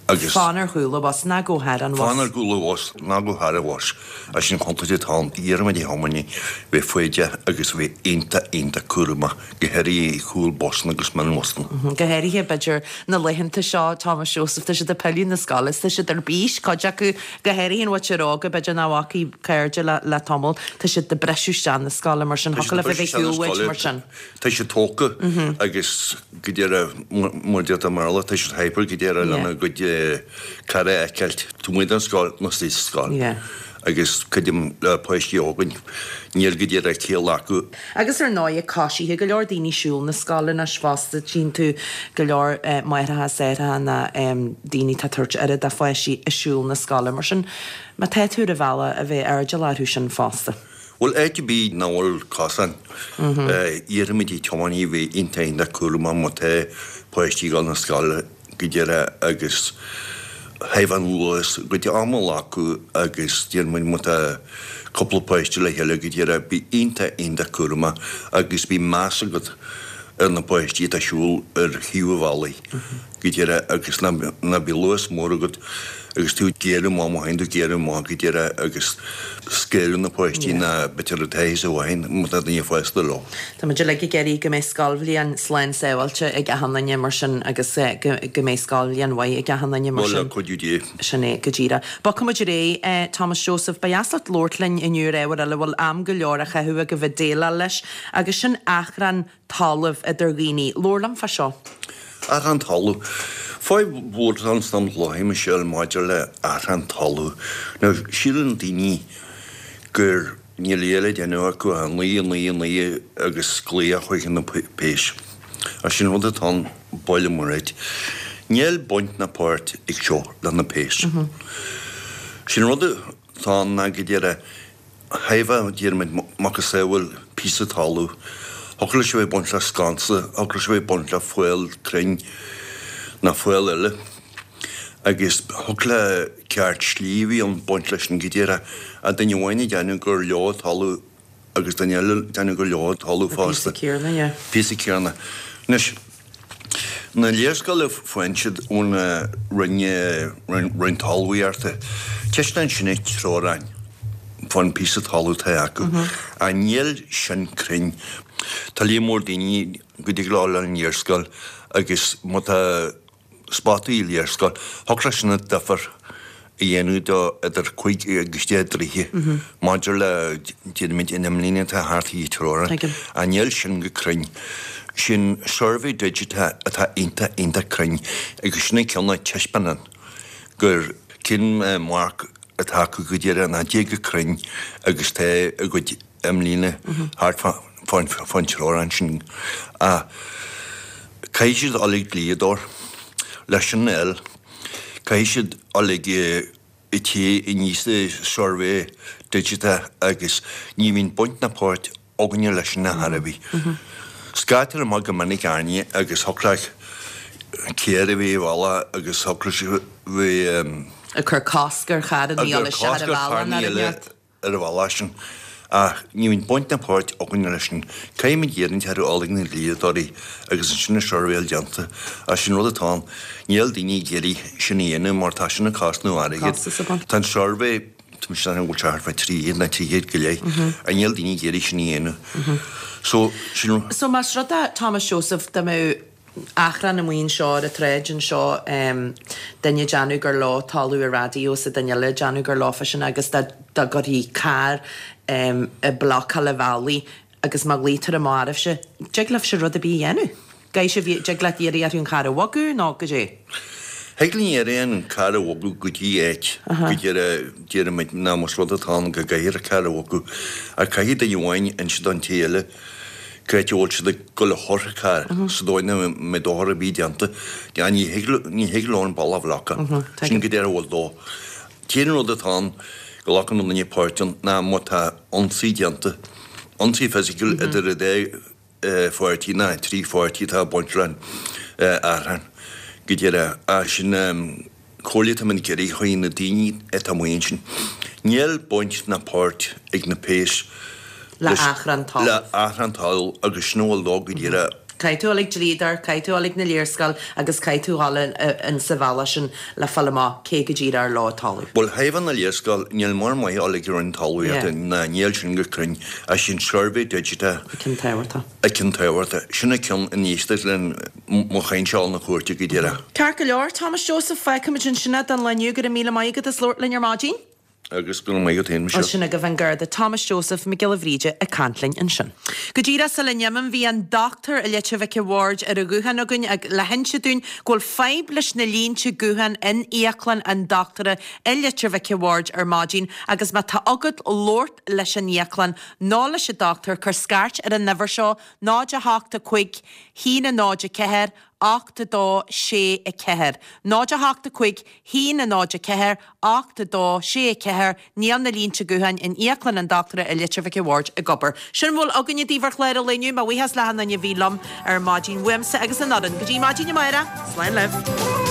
agus. Fan ar chúl an bhus, ná gabh thar an bhus. Fan ar chúl an bhus, ná gabh thar an bhus, as sin contúirt atá ann, iarraimid ar thiománaithe bheith foighdeach agus bheith iontach, iontach cúramach, go háirithe ar chúl busanna agus mionbhusanna. Go háirithe, b'fhéidir, na laethanta seo, Thomas Joseph, tá siad ag pilleadh na scoile is tá siad ar bís, cuid acu, go háirithe an mhuintir óga, b'fhéidir nach bhfacaidh cairde le, le tamall, tá siad ag briseadh isteach na scoile mar sin, Tá siad thiocfadh ag leofa briseadh bheith isteach na shiúl uait scoile, mar sin. tá siad tógtha agus go díreach, mar a déarfá i mBéarla, tá siad hyper go díreach lena gcuid cara a fheiceáilt taobh amuigh den scoil nó istigh sa scoil. Agus creidim le páistí óga, níl go díreach ciall acu. Agus ar ndóigh, coisithe, go leor daoine ag siúl na scoile anois fosta, tchíonn tú go leor máithreacha is aithreacha ná daoine atá ag tabhairt aire dá pháistí ag siúl na scoile. Mar sin, má tá tú ar an bhealach, a bheith airdeallach orthu sin fosta. Bhuel, áit ar bith nach bhfuil cosán, iarraimid ar thiománaithe bheith iontach iontach cúramach má tá páistí ag dul na scoile go díreach agus thaobh an luas, a gcuid ama a ghlacadh agus deir muid má tá cúpla páiste le chéile go díreach bí iontach iontach cúramach agus bí meas agat ar na páistí atá ag siúl ar thaobh an bhealaigh go díreach agus ná ná bíodh luas mór agat agus tú ag géarú amach má théann tú ag géarú amach go díreach agus scaoileadh na páistí ná b'fhéidir atá thíos i bhfeighil má tá duine fásta leo. Tá muid uilig ag iarraidh go mbeidh scoilbhliain slán sábháilte ag achan duine mar sin agus go go mbeidh scoilbhliain mhaith ag achan duine mar Bhuel, le sin. cuidiú Dé. Sin é go díreach. Bogfaidh muid ar aghaidh, Thomas Joseph, ba dheas leat labhairt linn inniu ar ábhar eile a bhfuil am go leor á chaitheamh agaibh ag déileáil leis agus sin achrann talaimh idir dhaoine. Labhair liom fá seo. Achrann talaimh. Fadhb mhór atá ann san am láthair, Michelle, maidir le achrann talaimh. Now, síleann daoine gur níl a dhath le déanamh acu ach naoi, naoi, naoi agus glaoch chuig na péis. Ach sin rud atá ann, buille muirit. Níl baint ná páirt ag seo le na péis. Sin rud atá ann ná go díreach thaobh déarfaimid macasamhail píosa talamh, thiocfadh leis a bheith ag baint le sconsa, thiocfadh leis a bheith ag baint le faill crainn nó faill eile agus thiocfadh le ceart slí a bheith ann baint leis sin go díreach ach duine amháin ag déanamh gur leo an talamh agus duine eile ag déanamh gur leo an talamh fosta. Píosa céanna, yeah. Píosa céanna. Anois, na léarscáil a faigheann siad ón Roinn, Roinn Talmhaíochta, taispeánann sin an teorainn fán píosa talamh atá acu. Ach níl sin cruinn. Tá líon mór daoine go dtig leo dul ar an léarscáil agus má tá spotaí i léarscáil, thiocfadh leis sin difear a dhéanamh do idir cúig agus deich dtroithe maidir le, déarfaimid, an imlíne atá thart ar an teorainn. Ach níl sin go cruinn. Sin suirbhé digiteach atá iontach, iontach cruinn agus sin an ceann a taispeánann gur cén marc atá acu go díreach ná dé go cruinn agus tá a gcuid imlíne thart fán teorainn sin. Ach caithfidh siad dul ag dlíodóir leis sin a fháil. Caithfidh siad dul ag an té a níos suirbhé digiteach agus ní bhíonn baint ná páirt againne leis sin ar chor ar bith. Scaiptear amach go minic airne agus thiocfadh le carr a bheith ar an bhealach agus thiocfadh leis a bheith. Ag cur cosc ar charranna Ag dul cur isteach ar cosc an ar bhealach charranna ná eile rud. ar an bhealach sin. Ach ní bhíonn baint ná páirt againne leis sin. Caithfimid iarraidh orthu dul ag na dlíodóirí agus ansin an suirbhéáil déanta. Ach sin rud atá ann. Níl daoine ag iarraidh sin a dhéanamh mar tá sin ag cosnú airgid. Costas a bhaint. Tá an suirbhé, tá mise ag déanamh go bhfuil sé thart fá trí chéad nó trí chéad go leith. Ach níl daoine ag iarraidh sin a dhéanamh. So, sin. So más rud é, Thomas Joseph, dá mbeadh achrann amuigh anseo ar an tsráid anseo, duine ag déanamh gur leo talamh an raidió is duine eile ag déanamh gur leofa sin agus dá dá gcuirfí carr ag blocáil an bhealaigh agus má ghlaoitear amach oraibhse, dtig libhse rud ar bith a dhéanamh? Gcaithfidh sibh, dtig leat iarraidh orthu an carr a bhogadh nó goidé? Thig linn iarraidh an carr a bhogadh go dtí áit go déarfaimid ná más rud atá ann go gcaithfear an carr a bhogadh ach caithfidh duine amháin inse don té eile cá háit a bhfuil siad ag dul a chur an carr sa dóigh nach mbeidh dochar ar bith déanta. Ní thig ní thig leo an bealach a bhlocadh. Sin go díreach a bhfuil dó. T-aon rud atá ann go nglacann an duine páirt ann ná má tá ionsaí déanta, ionsaí fisiciúil idir an dá pháirtí ná trí pháirtí atá ag baint le achrann go díreach. Ach sin comhairle atá muid ag iarraidh chuig na daoine atá amuigh ansin. Níl baint ná páirt ag na péas Le achrann talaimh. Le achrann talaimh agus sin a bhfuil leo go díreach. Caithfidh tú dul ag dlíodóir, caithfidh tú dul ag na léarscáil agus caithfidh tú dul in sa bhealach sin le fáil amach cé go díreach ar leo an talamh. Bhuel, thaobh na léarscáil, níl mórán maith a dhul ag an Roinn Talmhaíochta ná níl sin go cruinn, ach sin suirbhé digiteach. An ceann tábhachtach. An ceann tábhachtach. Sin an ceann in éisteacht le mo chaint seo na cúirte go díreach. Ceart go leor, Thomas Joseph, fágfaimid ansin é don lá inniu. Go raibh míle maith agat as labhairt linn ar maidin. Agus go raibh maith agat féin, Michelle. Sin agaibh an Garda Thomas Joseph Mac Giolla Bhríde ag caint linn ansin. Go díreach sula n-imím, bhí an dochtúir i Leitir Mhic a' Bhaird ar an ghuthán againn ag le hinse dúinn go bhfuil fadhb leis na línte gutháin in íoclann an dochtúra i Leitir Mhic a' Bhaird ar maidin agus má tá agat labhairt leis an íoclann nó leis an dochtúir cuir scairt ar an uimhir seo, náid a hocht a cúig, haon a náid a ceathair, ocht a dó sé a ceathair. Náid a hocht a cúig, haon a náid a ceathair, ocht a dó sé a ceathair Níl na línte gutháin in Íoclann an Dochtúra i Leitir Mhic a' Bhaird ag obair. Sin a bhfuil againne daoibh ar chlár an lae inniu. Mo bhuíochas le achan duine a bhí liom ar maidin uaimse agus an fhoireann. Go dtí maidin amárach, slán libh.